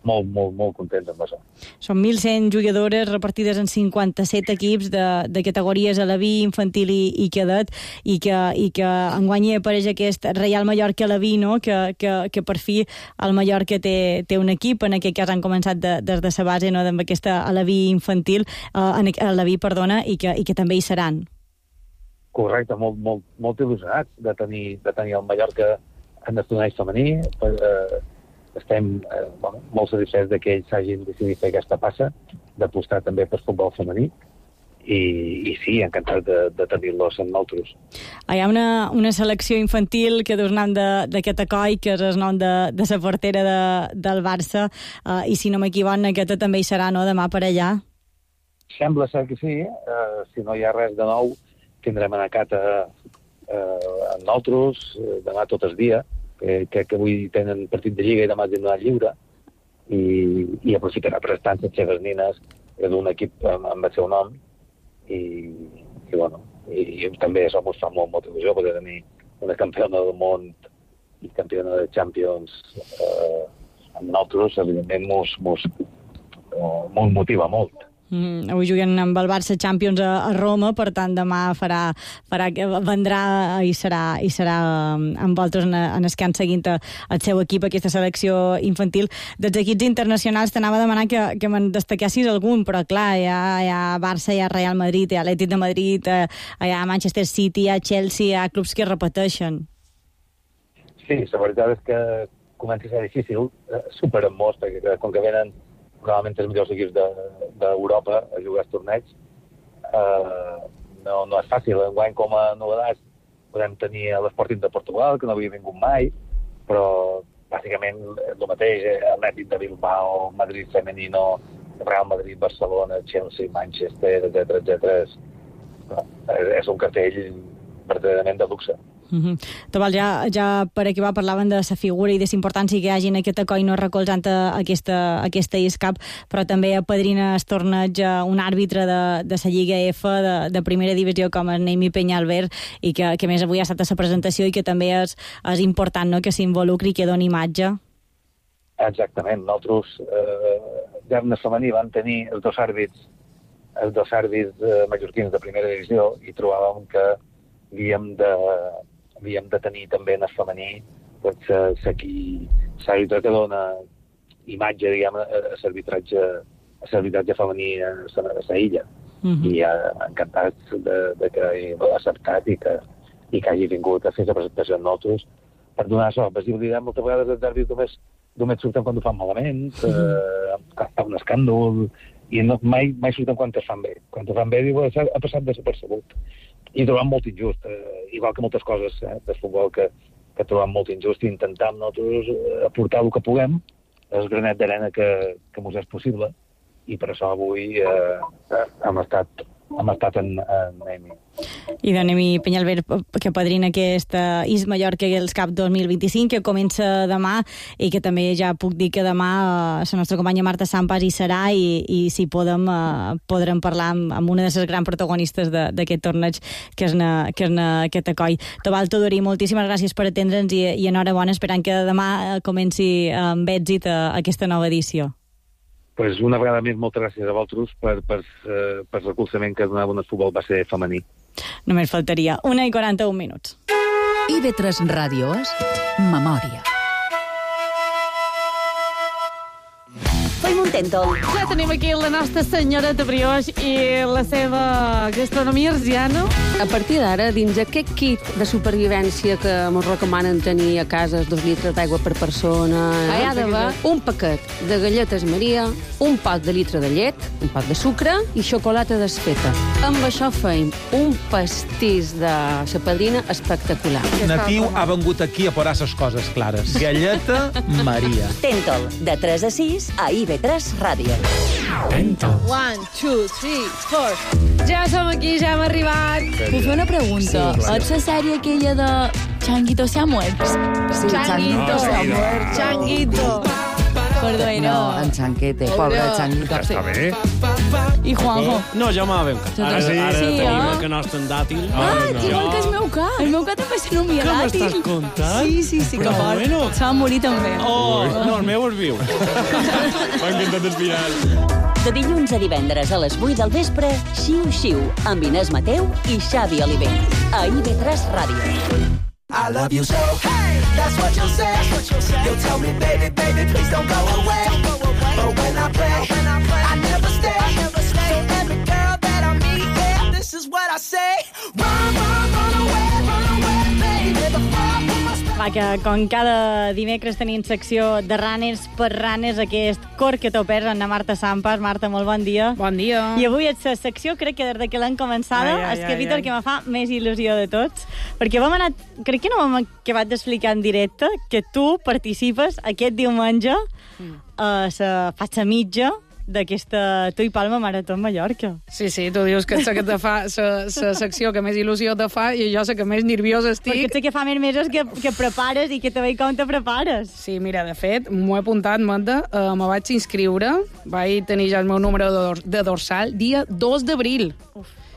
molt, molt, molt contents amb això. Són mil cent jugadores repartides en cinquanta-set equips de, de categories Aleví, infantil i, i cadet, i que, i que enguany hi apareix aquest Reial Mallorca Aleví, no? que, que, que per fi el Mallorca té, té un equip, en aquest cas han començat de, des de la base, no? amb aquesta Aleví infantil, eh, Aleví, perdona, i que, i que també hi seran. Correcte, molt, molt, molt il·lusionats de tenir, de tenir el Mallorca en el torneig femení. Per, eh, estem eh, bueno, molt satisfets de que ells s'hagin decidit fer aquesta passa, d'apostar també per futbol femení, i, i sí, encantat de, de tenir-los en nosaltres. Hi ha una, una selecció infantil que dus nom d'aquest acoi, que és el nom de, de la portera de, del Barça, eh, i si no m'equivoco, aquesta també hi serà, no?, demà per allà. Sembla ser que sí. Eh, si no hi ha res de nou, tindrem anar a Cata eh, amb nosaltres, eh, demà tot el dia, que, que, que avui tenen partit de Lliga i demà tindran lliure, i, i aprofitarà per estar les seves nines d'un equip amb, amb el seu nom, i, i bueno, i, i també això ens fa molt, molta il·lusió poder tenir una campiona del món i campiona de Champions eh, amb nosaltres, evidentment mos, mos, eh, mos motiva molt. Mm, avui juguen amb el Barça Champions a, a Roma, per tant demà farà, farà vendrà i serà, i serà amb vosaltres en, en el que han seguint el seu equip, aquesta selecció infantil. Dels equips internacionals t'anava a demanar que, que me'n destaquessis algun, però clar, hi ha, hi ha Barça, hi ha Real Madrid, hi ha Atlètic de Madrid, hi ha Manchester City, hi ha Chelsea, hi ha clubs que repeteixen. Sí, la veritat és que comença a ser difícil, eh, superen molts, perquè com que venen probablement els millors equips d'Europa de, a jugar als torneigs, eh, no, no és fàcil. Enguany, com a novetats, podem tenir l'Sporting de Portugal, que no havia vingut mai, però bàsicament és el mateix, Atlètic de Bilbao, Madrid Femenino, Real Madrid, Barcelona, Chelsea, Manchester, etcètera, etcètera. És, és un cartell verdaderament de luxe. Mm-hmm. Tobal, ja, ja per acabar parlaven de la figura i de la importància que hi hagi en aquest Acoino recolzant aquesta, aquesta I S C A P, però també apadrina el torneig un àrbitre de, de la Lliga F de, de primera divisió com és Neimi Peñalver, i que, que més avui ha estat a la presentació i que també és, és important, no?, que s'involucri i que doni imatge. Exactament. Nosaltres eh, ja en el femení vam tenir els dos àrbits els dos àrbits eh, mallorquins de primera divisió i trobàvem que havíem de havíem de tenir també en el femení doncs, l'àrbitre que dona imatge, diguem, a l'arbitratge a l'arbitratge femení a la illa. Mm-hmm. I uh, encantats de, de que l'ha acceptat i que, i que hagi vingut a fer la presentació amb nosaltres per donar això. Visibilitat, moltes vegades els àrbits només, només surten quan ho fan malament, eh, fa un escàndol, i no, mai, mai surten quan es fan bé. Quan es fan bé, diu, ha passat desapercebut. I trobam molt injust, eh, igual que moltes coses eh, del futbol que, que trobam molt injust, i intentam nosaltres aportar el que puguem, el granet d'arena que, que mos és possible, i per això avui eh, hem estat hem estat en, en Neimi. I de Neimi Peñalver, que padrina aquesta I S Mallorca els Cup dos mil vint-i-cinc, que comença demà, i que també ja puc dir que demà eh, la nostra companya Marta Sampas hi serà, i, i si podem, eh, podrem parlar amb, amb una de les grans protagonistes d'aquest torneig, que és, na, que és na, aquest Acoi. Tobal Tudorí, moltíssimes gràcies per atendre'ns, i, i enhorabona, esperant que demà comenci amb èxit a, a aquesta nova edició. Pues una vegada més, moltes gràcies a vosaltres per, per, per, per el recolzament que donava el futbol base femení. Només faltaria. Una i quaranta-un minuts. I ve tres Ràdio és Memòria. Fem un tèntol. Ja tenim aquí la nostra senyoreta Brioix i la seva gastronomia arsiana. A partir d'ara, dins aquest kit de supervivència que ens recomanen tenir a casa, dos litres d'aigua per persona, hi ha d'haver un paquet de galletes Maria, un pot de litre de llet, un pot de sucre i xocolata desfeta. Amb això feim un pastís de la padrina espectacular. Natiu ha vengut aquí a posar les coses clares. Galleta Maria. Tèntol, de tres a sis a I V tres Ràdio. Tèntol. One, two, three, four. Ja som aquí, ja hem arribat. Puc fer una pregunta? Sí, claro. ¿Es la sèrie aquella de Changuito se ha muerto? Sí, Changuito se ha muerto. Changuito. Perdó, no, en Chanquete, pobre Changuito. Està bé. I Juanjo? No, jo m'ha ben Ara, Sí, ara sí, tenim eh? el que nostre en dàtil. Ah, no. Igual que el meu cap. El meu cap també se nomia Què dàtil. m'estàs contant? Sí, sí, sí, que Però fort. bueno. Se va morir també. Oh, no, el meu es viu. M'ha encantat el final. De dilluns a divendres a les vuit del vespre, Xiu Xiu, amb Inés Mateu i Xavi Oliver. A I V tres Ràdio. I love you so. Hey, that's what you'll say. You'll tell me, baby, baby, please don't go away. But when I play, I never stay. So every girl that I meet, yeah, this is what I say. Run, run, run away, run away, baby. Before I put my spell. Va, que com cada dimecres tenim secció de runners per runners, aquest cor que t'opers amb la Marta Sampas. Marta, molt bon dia. Bon dia. I avui és la secció, crec que des de que l'hem començada, Ai, ai, és que, ai, Víctor, ai. que me fa més il·lusió de tots, perquè vam anar, crec que no vam acabat d'explicar en directe que tu participes aquest diumenge a la faixa mitja d'aquesta Tu i Palma Marató en Mallorca. Sí, sí, tu dius que és la que te fa la secció que més il·lusió te fa i jo sé que més nerviosa estic. Perquè sé que fa més mesos que, que prepares i que te veig com te prepares. Sí, mira, de fet, m'ho he apuntat, Manda, uh, me vaig inscriure, vaig tenir ja el meu número de, dor de dorsal dia dos d'abril.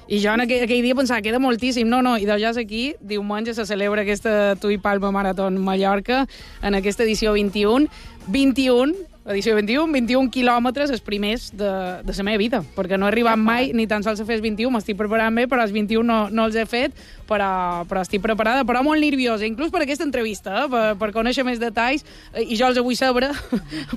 I jo en aquell, aquell dia pensava, queda moltíssim. No, no, i de ja és aquí, diumenge se celebra aquesta Tui Palma Maratón Mallorca en aquesta edició vint-i-un. vint-i-un, edició vint-i-un, vint-i-un quilòmetres els primers de, de la meva vida, perquè no he arribat mai ni tan sols a fer els vint-i-un, m'estic preparant bé, però els vint-i-un no, no els he fet, però, però estic preparada, però molt nerviosa, inclús per aquesta entrevista, eh, per, per conèixer més detalls, i jo els vull saber,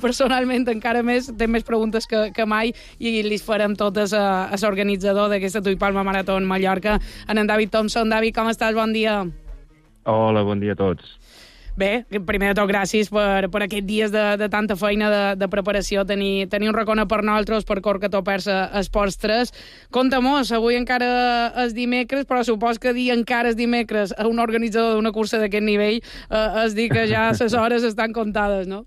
personalment encara més, té més preguntes que, que mai, i li farem totes a, a l'organitzador d'aquesta Tui Palma Maratón Mallorca, en David Thompson. David, com estàs? Bon dia. Hola, bon dia a tots. Bé, primer de tot, gràcies per, per aquests dies de, de tanta feina de, de preparació, tenir, tenir un racona per nosaltres, per cor que topers a Esports tres. Conta-mos, avui encara és dimecres, però supos que dir encara és dimecres a un organitzador d'una cursa d'aquest nivell eh, és dir que ja les hores estan comptades, no?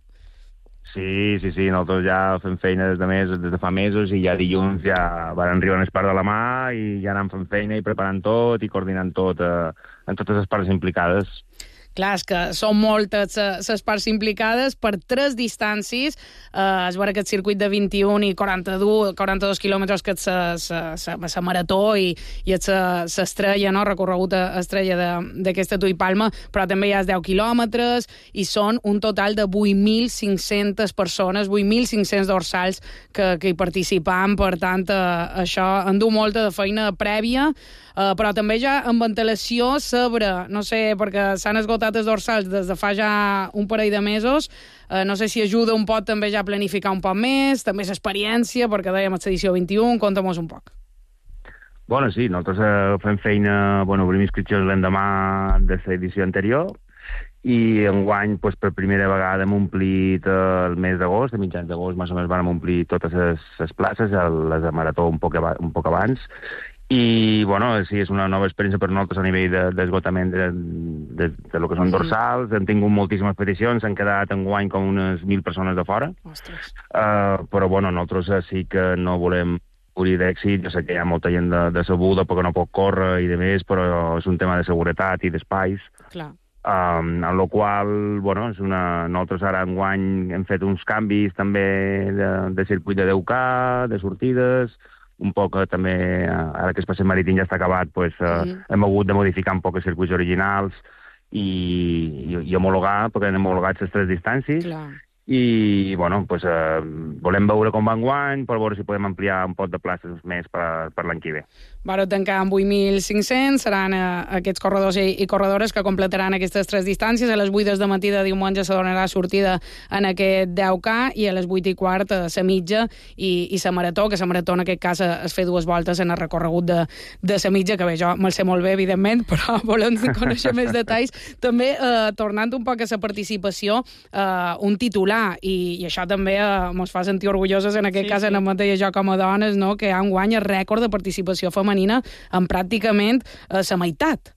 Sí, sí, sí, nosaltres ja fem feina des de, mes, des de fa mesos i ja dilluns ja van arribar en part de la mà i ja anem fent feina i preparant tot i coordinant tot eh, en totes les parts implicades. Clar, és que són moltes les parts implicades per tres distàncies. Eh, es veure aquest circuit de vint-i-un i quaranta-dos, quaranta-dos quilòmetres que és la marató i, i és l'estrella, no? Recorregut estrella d'aquesta Tui Palma, però també hi ha deu quilòmetres i són un total de vuit mil cinc-centes persones, vuit mil cinc-cents dorsals que, que hi participen. Per tant, eh, això endú molta de feina prèvia, eh, però també ja amb antelació sobre, no sé, perquè s'han esgotat els dorsals des de fa ja un parell de mesos. Eh, no sé si ajuda un poc també ja a planificar un poc més, també l'experiència, perquè dèiem edició vint-i-un, conta-mos un poc. Bueno, sí, nosaltres eh, fem feina, bueno, obrim inscripcions l'endemà de l'edició anterior i enguany, pues, per primera vegada hem omplit eh, el mes d'agost, a mitjans d'agost més o menys vam omplir totes les, les places, el, les de marató un poc, un poc abans. I, bueno, sí, és una nova experiència per nosaltres a nivell d'esgotament de, de, de, de lo que són dorsals. Hem tingut moltíssimes peticions, s'han quedat enguany com unes mil persones de fora. Uh, però, bueno, nosaltres sí que no volem morir d'èxit. Jo sé que hi ha molta gent de, decebuda perquè no pot córrer i de més, però és un tema de seguretat i d'espais. Clar. Um, en la qual, bueno, és una... nosaltres ara enguany hem fet uns canvis també de, de circuit de deu K, de sortides, un poc eh, també, ara que el passeig marítim ja està acabat, pues, eh, mm. hem hagut de modificar un poc els circuits originals i, i, i homologar, perquè hem homologat les tres distàncies. Clar. I, bueno, pues, eh, volem veure com va enguany, per veure si podem ampliar un pot de places més per, per l'any que ve. Vareu tancar amb vuit mil cinc-cents, seran eh, aquests corredors i, i corredores que completaran aquestes tres distàncies. A les vuit del matí de diumenge se donarà sortida en aquest deu K i a les vuit i quart a la mitja i, i la marató, que la marató en aquest cas es fa dues voltes en el recorregut de, de la mitja, que bé, jo me'l sé molt bé, evidentment, però volem conèixer més detalls. També, eh, tornant un poc a la participació, eh, un titular, i, i això també eh, mos fa sentir orgulloses, en aquest sí, cas, sí. en el mateix jo com a dones, no? Que han guany el rècord de participació femenina en pràcticament eh, la meitat.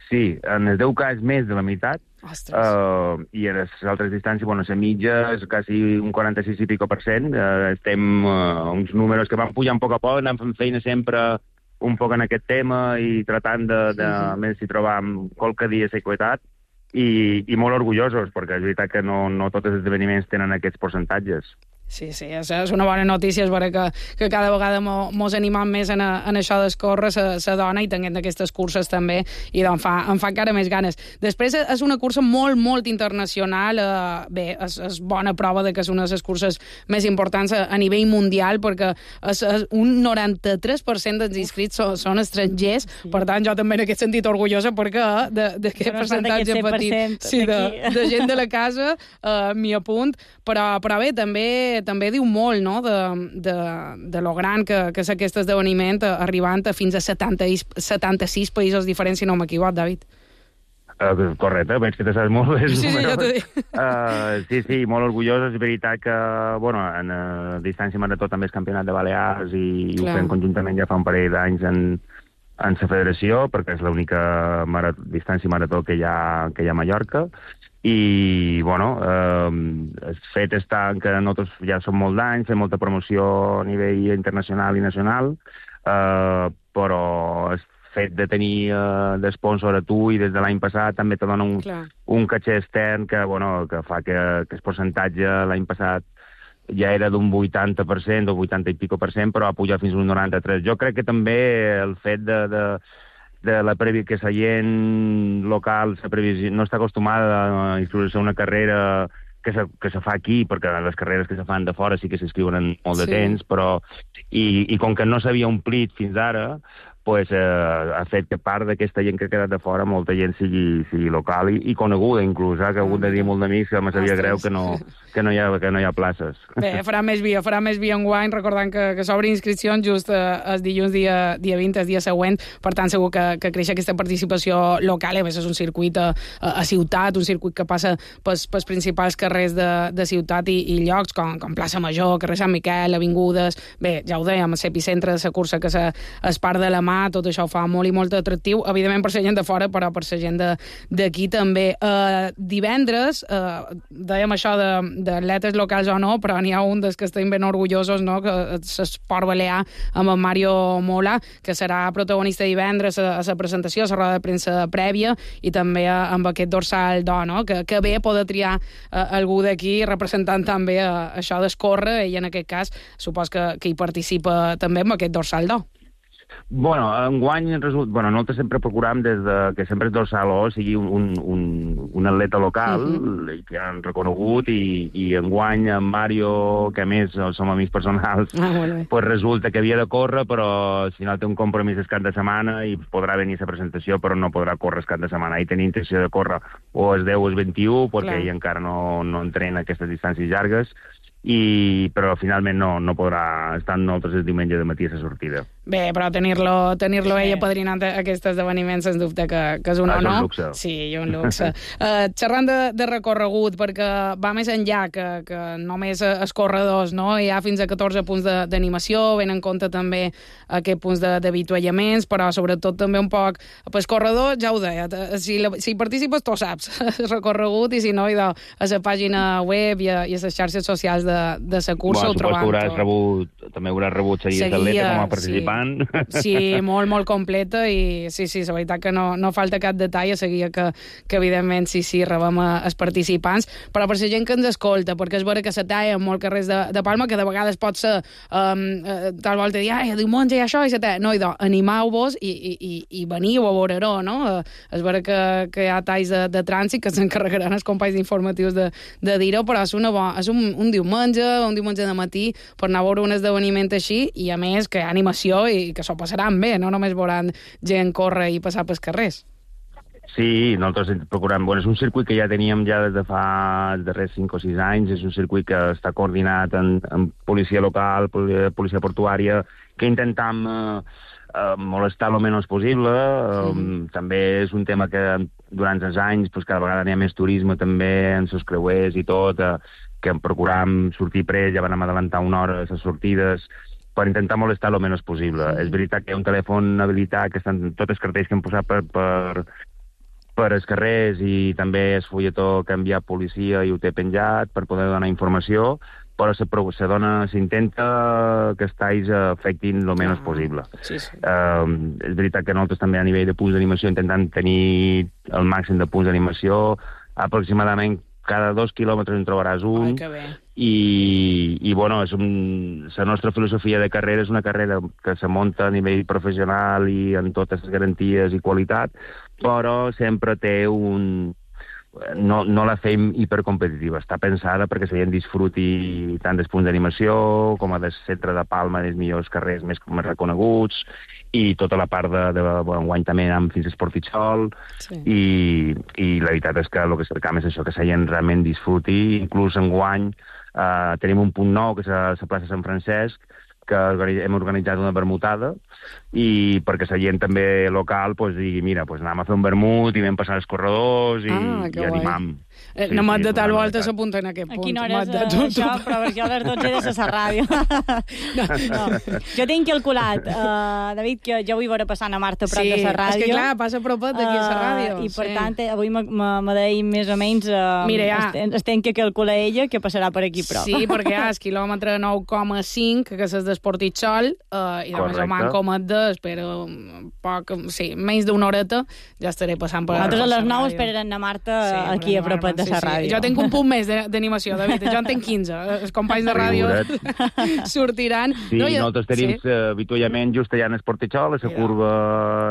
Sí, en el deu K és més de la meitat. Uh, i a les altres distàncies, bueno, la mitja és quasi un quaranta-sis i pico per cent. Uh, estem uh, uns números que van pujant a poc a poc, anem fent feina sempre un poc en aquest tema i tratant de, de sí, sí. més si trobam qualque dia seguretat. I, i molt orgullosos, perquè és veritat que no, no tots els esdeveniments tenen aquests percentatges. Sí, sí, és, és una bona notícia, és veure que, que cada vegada mo, mos animam més en, a, en això d'escórrer la dona i tenint aquestes curses també, i doncs fa, em fa encara més ganes. Després és una cursa molt, molt internacional, eh, bé, és, és bona prova de que és una de les curses més importants a, a nivell mundial, perquè és, és un noranta-tres per cent dels inscrits són, són estrangers, sí. Per tant jo també en aquest sentit orgullosa, perquè d'aquest percentatge petit sí, de, de gent de la casa eh, m'hi apunt, però, però bé, també també diu molt, no?, de, de, de lo gran que, que és aquest esdeveniment, arribant a fins a setanta, setanta-sis països diferents, si no m'equivoc, David. Uh, correcte, veig que te saps molt bé. Sí, sí, ja t'ho dic. Uh, sí, sí, molt orgullosos. És veritat que, bueno, en uh, distància marató també és campionat de Balears i Clar. Ho fem conjuntament ja fa un parell d'anys en, en la federació, perquè és l'única marató, distància marató que hi ha, que hi ha a Mallorca. I, bueno, eh, el fet està que nosaltres ja som molt d'anys, fem molta promoció a nivell internacional i nacional, eh, però el fet de tenir eh, d'esponsor a tu i des de l'any passat també te dona un, un caché extern que, bueno, que fa que, que el percentatge l'any passat ja era d'un vuitanta per cent o vuitanta i pico per cent, però ha pujat fins a un noranta-tres. Jo crec que també el fet de, de, de la previ que la gent local la previsió, no està acostumada a inscriure-se a una carrera que se, que se fa aquí, perquè les carreres que se fan de fora sí que s'inscriuen en molt de Sí. temps, però i, i com que no s'havia omplit fins ara, pues, eh, ha fet que part d'aquesta gent que ha quedat de fora, molta gent sigui, sigui local i, i coneguda, inclús, eh, que he hagut de dir molt d'amics que me sabia greu que no, que, no hi ha, que no hi ha places. Bé, farà més via, farà més via enguany, recordant que, que s'obre inscripcions just eh, el dilluns dia, dia vint, el dia següent, per tant segur que, que creix aquesta participació local, i a més és un circuit a, a ciutat, un circuit que passa pels, pels principals carrers de, de ciutat i, i llocs com, com Plaça Major, carrer Sant Miquel, avingudes, bé, ja ho dèiem, l'epicentre de la cursa que se, es part de la mà, tot això ho fa molt i molt atractiu, evidentment per la gent de fora, però per la gent d'aquí també. Uh, divendres, uh, dèiem això d'atletes locals o no, però n'hi ha un dels que estem ben orgullosos, no?, que l'esport balear amb el Mario Mola, que serà protagonista divendres a, a la presentació, a la roda de premsa prèvia, i també a, amb aquest dorsal d'or, no?, que, que bé poder triar uh, algú d'aquí representant també uh, això d'escórrer, i en aquest cas supos que, que hi participa també amb aquest dorsal d'or. Bueno, enguany resulta... Bueno, nosaltres sempre procurem des de que sempre el dorsal O sigui un, un, un, un atleta local uh-huh. que han reconegut i, i enguany en Mario, que a més som amics personals, ah, bueno. pues resulta que havia de córrer, però al final té un compromís el cap de setmana i podrà venir a la presentació, però no podrà córrer el cap de setmana. I tenia intenció de córrer o el deu o el vint-i-u, perquè ell encara no, no entrena aquestes distàncies llargues, i, però finalment no, no podrà estar amb nosaltres el diumenge de matí a la sortida. Bé, però tenir-lo tenir-lo ell apadrinant aquest esdeveniment sens dubte que, que és un ah, honor. És un luxe. Sí, un luxe. uh, xerrant de, de recorregut, perquè va més enllà que, que només els corredors, no? Hi ha fins a catorze punts d'animació, ben en compte també aquests punts d'avituallaments, però sobretot també un poc... Pues corredor, ja ho deia, si, la, si hi participes tu saps el recorregut, i si no, idò, a la pàgina web i a, i a les xarxes socials de, de la cursa bueno, ho trobam. Hauràs rebut, també hauràs rebut seguir d'atleta com a participant. Sí. sí, molt, molt completa, i sí, sí, la veritat que no, no falta cap detall a seguir que, que evidentment sí, sí, rebem els participants, però per la gent que ens escolta, perquè és vera que se talla en molts carrers de, de Palma, que de vegades pot ser um, uh, tal volta dir, ai, diumenge hi ha això, i se talla. No, idò, animeu-vos i, i, i, i veniu a veure-ho, no? Uh, és vera que, que hi ha talls de, de trànsit que s'encarregaran els companys informatius de, de dir-ho, però és, una bo, és un, un diumenge, un diumenge de matí, per anar a veure un esdeveniment així, i a més que hi ha animació i que s'ho passaran bé, no només veuran gent córrer i passar pels carrers. Sí, nosaltres procurem... Bueno, és un circuit que ja teníem ja des de fa els darrers cinc o sis anys, és un circuit que està coordinat en, en policia local, policia portuària, que intentam eh, eh, molestar el menys possible. Sí. Eh, també és un tema que durant els anys pues, cada vegada n'hi ha més turisme també en els creuers i tot, eh, que procuram sortir pres, ja vam adelantar una hora les sortides, per intentar molestar el menys possible. Sí. És veritat que hi ha un telèfon habilitat, que estan tots els cartells que hem posat per, per, per els carrers, i també el fulletó que ha enviat policia i ho té penjat per poder donar informació, però se, se dona, s'intenta que els talls afectin el menys ah, possible. Sí, sí. Uh, és veritat que nosaltres també a nivell de punts d'animació intentem tenir el màxim de punts d'animació, aproximadament cada dos quilòmetres en trobaràs un. Ai, que bé. I, i bueno, és un, la nostra filosofia de carrera és una carrera que se munta a nivell professional i amb totes les garanties i qualitat, però sempre té un... No, no la fem hipercompetitiva, està pensada perquè la gent disfruti tant dels punts d'animació com a del centre de Palma, dels millors carrers més, més reconeguts, i tota la part de, de bueno, enguany també anem fins a Esportitxol, sí. i, i la veritat és que el que cercam és això, que la gent realment disfruti. Inclús enguany eh, tenim un punt nou, que és a la plaça Sant Francesc, que hem organitzat una vermutada, i perquè la gent també local pues, digui, mira, pues, anem a fer un vermut i vam passar els corredors i, ah, i animam. Eh, sí, no m'ha sí, de tal volta s'apunta en aquest punt. A quina hora és uh, això? Però perquè a les dotze de la ràdio. no, no. Jo tinc calculat, uh, David, que jo vull veure passant a Marta prop sí, de la ràdio. Sí, és que clar, passa a propet d'aquí a la ràdio. Uh, I per sí. tant, avui me deia més o menys uh, Mira, ja. es, es ten que calcular ella que passarà per aquí prop. Sí, perquè hi ha el quilòmetre nou coma cinc, que és des d'Esportitxol, eh, i de més o manco Matdes, però poc, sí, menys d'una horeta ja estaré passant per... Nosaltres a les nou esperarem a Marta sí, aquí a propet de la ràdio. Jo tinc un punt més d'animació, David, jo en tinc quinze. Els companys de ràdio sortiran. Sí, no, jo... nosaltres tenim sí. avituallament just allà en Esportitxol, a la curva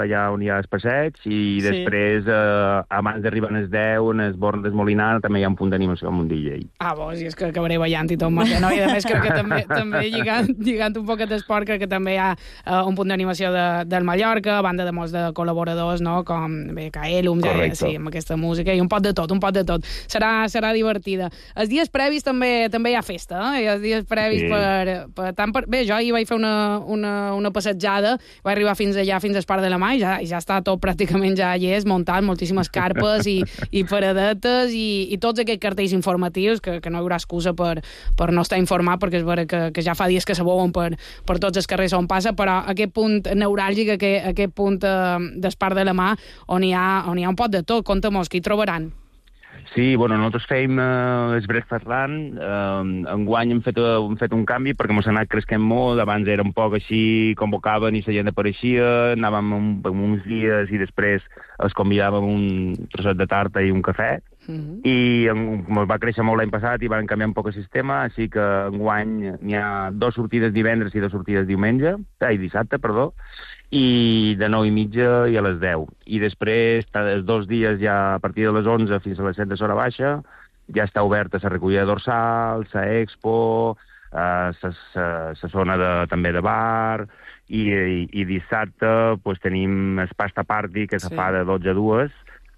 allà on hi ha el passeig, i després, sí. eh, abans d'arribar a les deu, en el Born d'Esmolinar, també hi ha un punt d'animació amb un D J. Ah, bo, si és que acabaré ballant i tot, Marta, no? I a més crec que també, també lligant, lligant un poquet d'esport, crec que també hi ha uh, un punt d'animació de, del Mallorca, banda de molts de col·laboradors, no? Com bé, Caelum, ja, sí, amb aquesta música, i un pot de tot, un pot de tot. Serà, serà divertida. Els dies previs també també hi ha festa, eh? Els dies previs sí. per, per, tant per... Bé, jo ahir vaig fer una, una, una passejada, vaig arribar fins allà, fins al Parc de la Mà, i ja, ja està tot pràcticament ja hi és, muntat, moltíssimes carpes i, i paradetes i, i tots aquests cartells informatius, que, que no hi haurà excusa per, per no estar informat, perquè és vera que, que ja fa dies que s'abouen per, per tots els carrers on passa, però aquest punt neuràlgic, aquest, aquest punt eh, del Parc de la Mà, on hi ha, on hi ha un pot de tot, compta-mos, què hi trobaran? Sí, bueno, nosaltres fèiem eh, el Breakfast Run, eh, enguany hem fet, hem fet un canvi perquè ens ha anat cresquent molt, abans era un poc així, convocaven i la gent apareixia, anàvem un, uns dies i després els convidàvem un trosset de tarta i un cafè, mm-hmm. i en, va créixer molt l'any passat i van canviar un poc el sistema, així que enguany n'hi ha dues sortides divendres i dues sortides diumenge, ai, dissabte, perdó, i de nou i mitja i a les deu. I després, els dos dies ja a partir de les onze fins a les set de l'hora baixa, ja està oberta la recollida de dorsals, la expo, la eh, zona de, també de bar, i, i, i dissabte pues, tenim el pasta party, que sí. se fa de dotze a dues.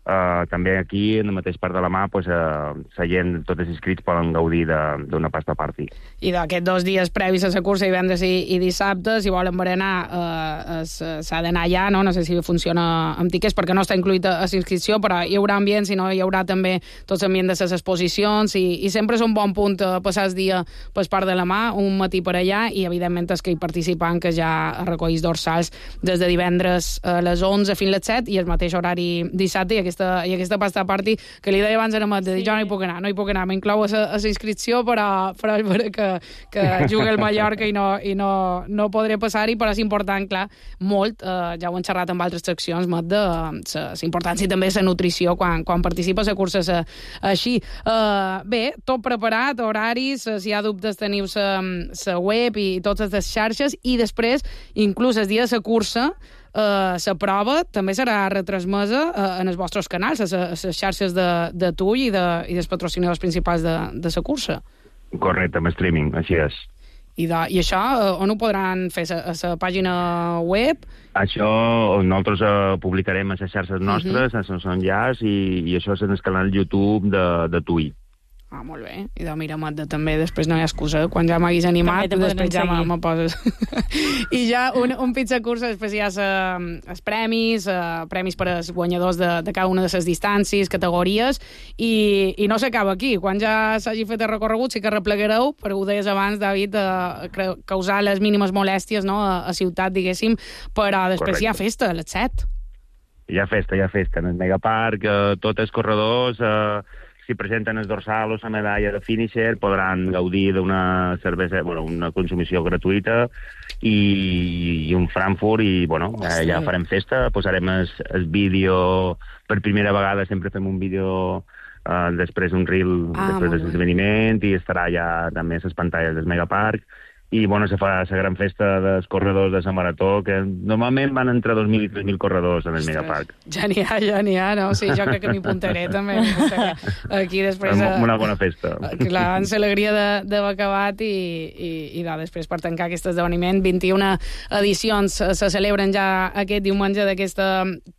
Uh, també aquí, en el mateix Parc de la Mà, pues, uh, la gent, tots els inscrits poden gaudir d'una pasta party. I d'aquests dos dies previs a la cursa, divendres i, i dissabte, si volen berenar, uh, s'ha d'anar allà, no? No sé si funciona amb tiquets, perquè no està incluït a, a l'inscripció, però hi haurà ambient, si no hi haurà també tot l'ambient de les exposicions, i, i sempre és un bon punt uh, passar el dia pel Parc de la Mà, un matí per allà, i evidentment és que hi participen, que ja recollís dorsals des de divendres a les onze fins a les set, i el mateix horari dissabte, i aquesta i aquesta pasta party, que li deia abans a Amat, de dir, sí. jo no hi puc anar, no hi puc anar, m'inclou a la inscripció, però, però és vera que, que juga el Mallorca i no, i no, no podré passar-hi, però és important, clar, molt, eh, ja ho hem xerrat amb altres seccions, Mat, de la importància també la nutrició quan, quan participes a curses a, així. Eh, bé, tot preparat, horaris, si hi ha dubtes teniu la web i totes les xarxes, i després, inclús el dia de la cursa, Uh, la prova també serà retransmesa uh, en els vostres canals, a les xarxes de, de tu i, de, i dels patrocinadors principals de, de la cursa. Correcte, amb streaming, així és. I, de, i això uh, on ho podran fer? A la pàgina web? Això nosaltres uh, publicarem a les xarxes nostres, uh-huh. a les enllaç, i, i això és en el canal YouTube de, de tu i. Ah, molt bé. I de mira, Mat, de, també després no hi ha excusa. Quan ja m'haguis animat, després ja me poses. I ja un, un pizza cursa, després hi ha els premis, uh, premis per als guanyadors de, de cada una de les distàncies, categories, i, i no s'acaba aquí. Quan ja s'hagi fet el recorregut, sí que replegareu, perquè ho deies abans, David, uh, causar les mínimes molèsties, no?, a, a ciutat, diguéssim, però després Correcte. Hi ha festa a les set. Hi ha festa, hi ha festa. En el Megaparc, uh, tots els corredors... Uh... si presenten el dorsal o la medalla de finisher, podran gaudir d'una cervesa, bueno, una consumició gratuïta i, i un Frankfurt, i, bueno, ja, ja farem festa, posarem el, el vídeo, per primera vegada sempre fem un vídeo uh, després d'un reel, ah, després de l'esdeveniment, i estarà ja també a les pantalles del Megaparc. I, bueno, se fa la gran festa dels corredors de la Marató, que normalment van entre dos mil i tres mil corredors en el Ostres, Megaparc. Ja n'hi ha, ja n'hi ha, no? Sí, jo crec que m'hi apuntaré, també. Aquí després... Una bona festa. Clar, amb l'alegria d'haver acabat i, i, i no, després per tancar aquest esdeveniment. vint-i-una edicions se celebren ja aquest diumenge d'aquesta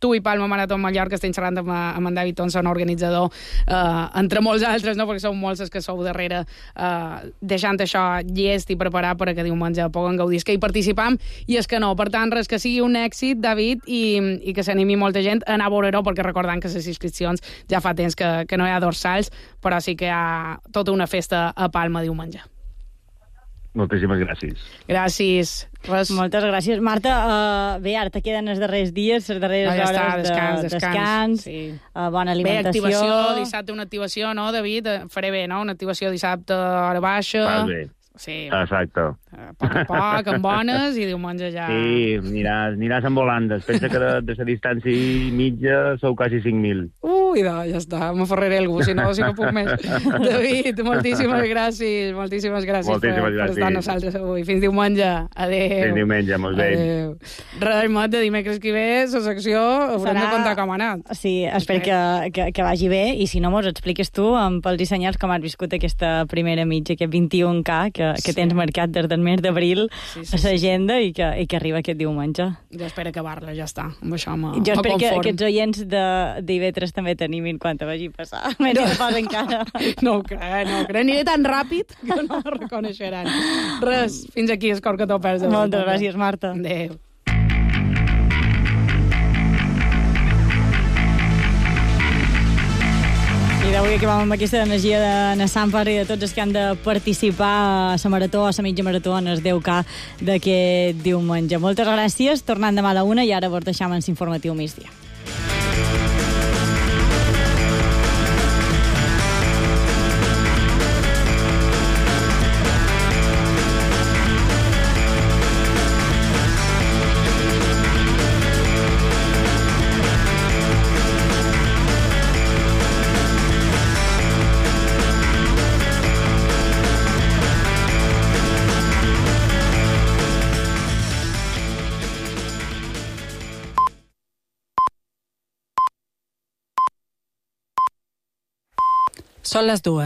Tu i Palma Marató Mallorca. Estem xerrant amb, amb en David Thompson, organitzador, eh, entre molts altres, no? Perquè sou molts els que sou darrere, eh, deixant això llest i preparat per que diumenge puguen gaudir, és que hi participam i és que no, per tant, res que sigui un èxit, David, i, i que s'animi molta gent a anar a veure-ho, perquè recordant que les inscripcions ja fa temps que, que no hi ha dorsals, però sí que hi ha tota una festa a Palma diumenge. Moltíssimes gràcies. Gràcies. Res. Moltes gràcies. Marta, uh, bé, ara te queden els darrers dies, les darreres no, ja hores està, descans, de descans, descans, sí. uh, bona alimentació. Bé, activació, dissabte una activació, no, David? Faré bé, no? Una activació dissabte a hora baixa. Fas bé. Sí. Exacte. A poc a poc, amb bones, i diumenge ja... Sí, aniràs, aniràs en volandes. Pensa que de, de la distància mitja sou quasi cinc mil. Ui, no, ja està, m'aferraré algú, si no, si no puc més. David, moltíssimes gràcies, moltíssimes gràcies, moltíssimes per, gràcies. per estar amb nosaltres avui. Fins diumenge. Adéu. Fins diumenge, molt bé. Adéu. Res, Mat, de dimecres que ve, la secció, haurem Serà... de contar com ha anat. Sí, espero que, que, que vagi bé, i si no, mos expliques tu, amb pels dissenyats, com has viscut aquesta primera mitja, aquest vint-i-un K, que, que Sí. tens marcat des del mes d'abril Sí, sí, a sí. l'agenda i, que, i que arriba aquest diumenge. Jo espero acabar-la, ja està. Amb això me, Jo me espero que conform. aquests oients d'I V tres també t'animin quan te vagi passar. Menys no. Pas encara. No ho crec, no ho crec. Aniré tan ràpid que no me reconeixeran. Res, fins aquí, Escor, que t'ho perds. Moltes gràcies, Marta. Adéu. I d'avui acabem amb aquesta energia de Nassàmpar i de tots els que han de participar a la marató, a la mitja marató, en el deu K d'aquest diumenge. Moltes gràcies, tornant demà a la una, i ara vos deixam en l'informatiu migdia. Són les dues.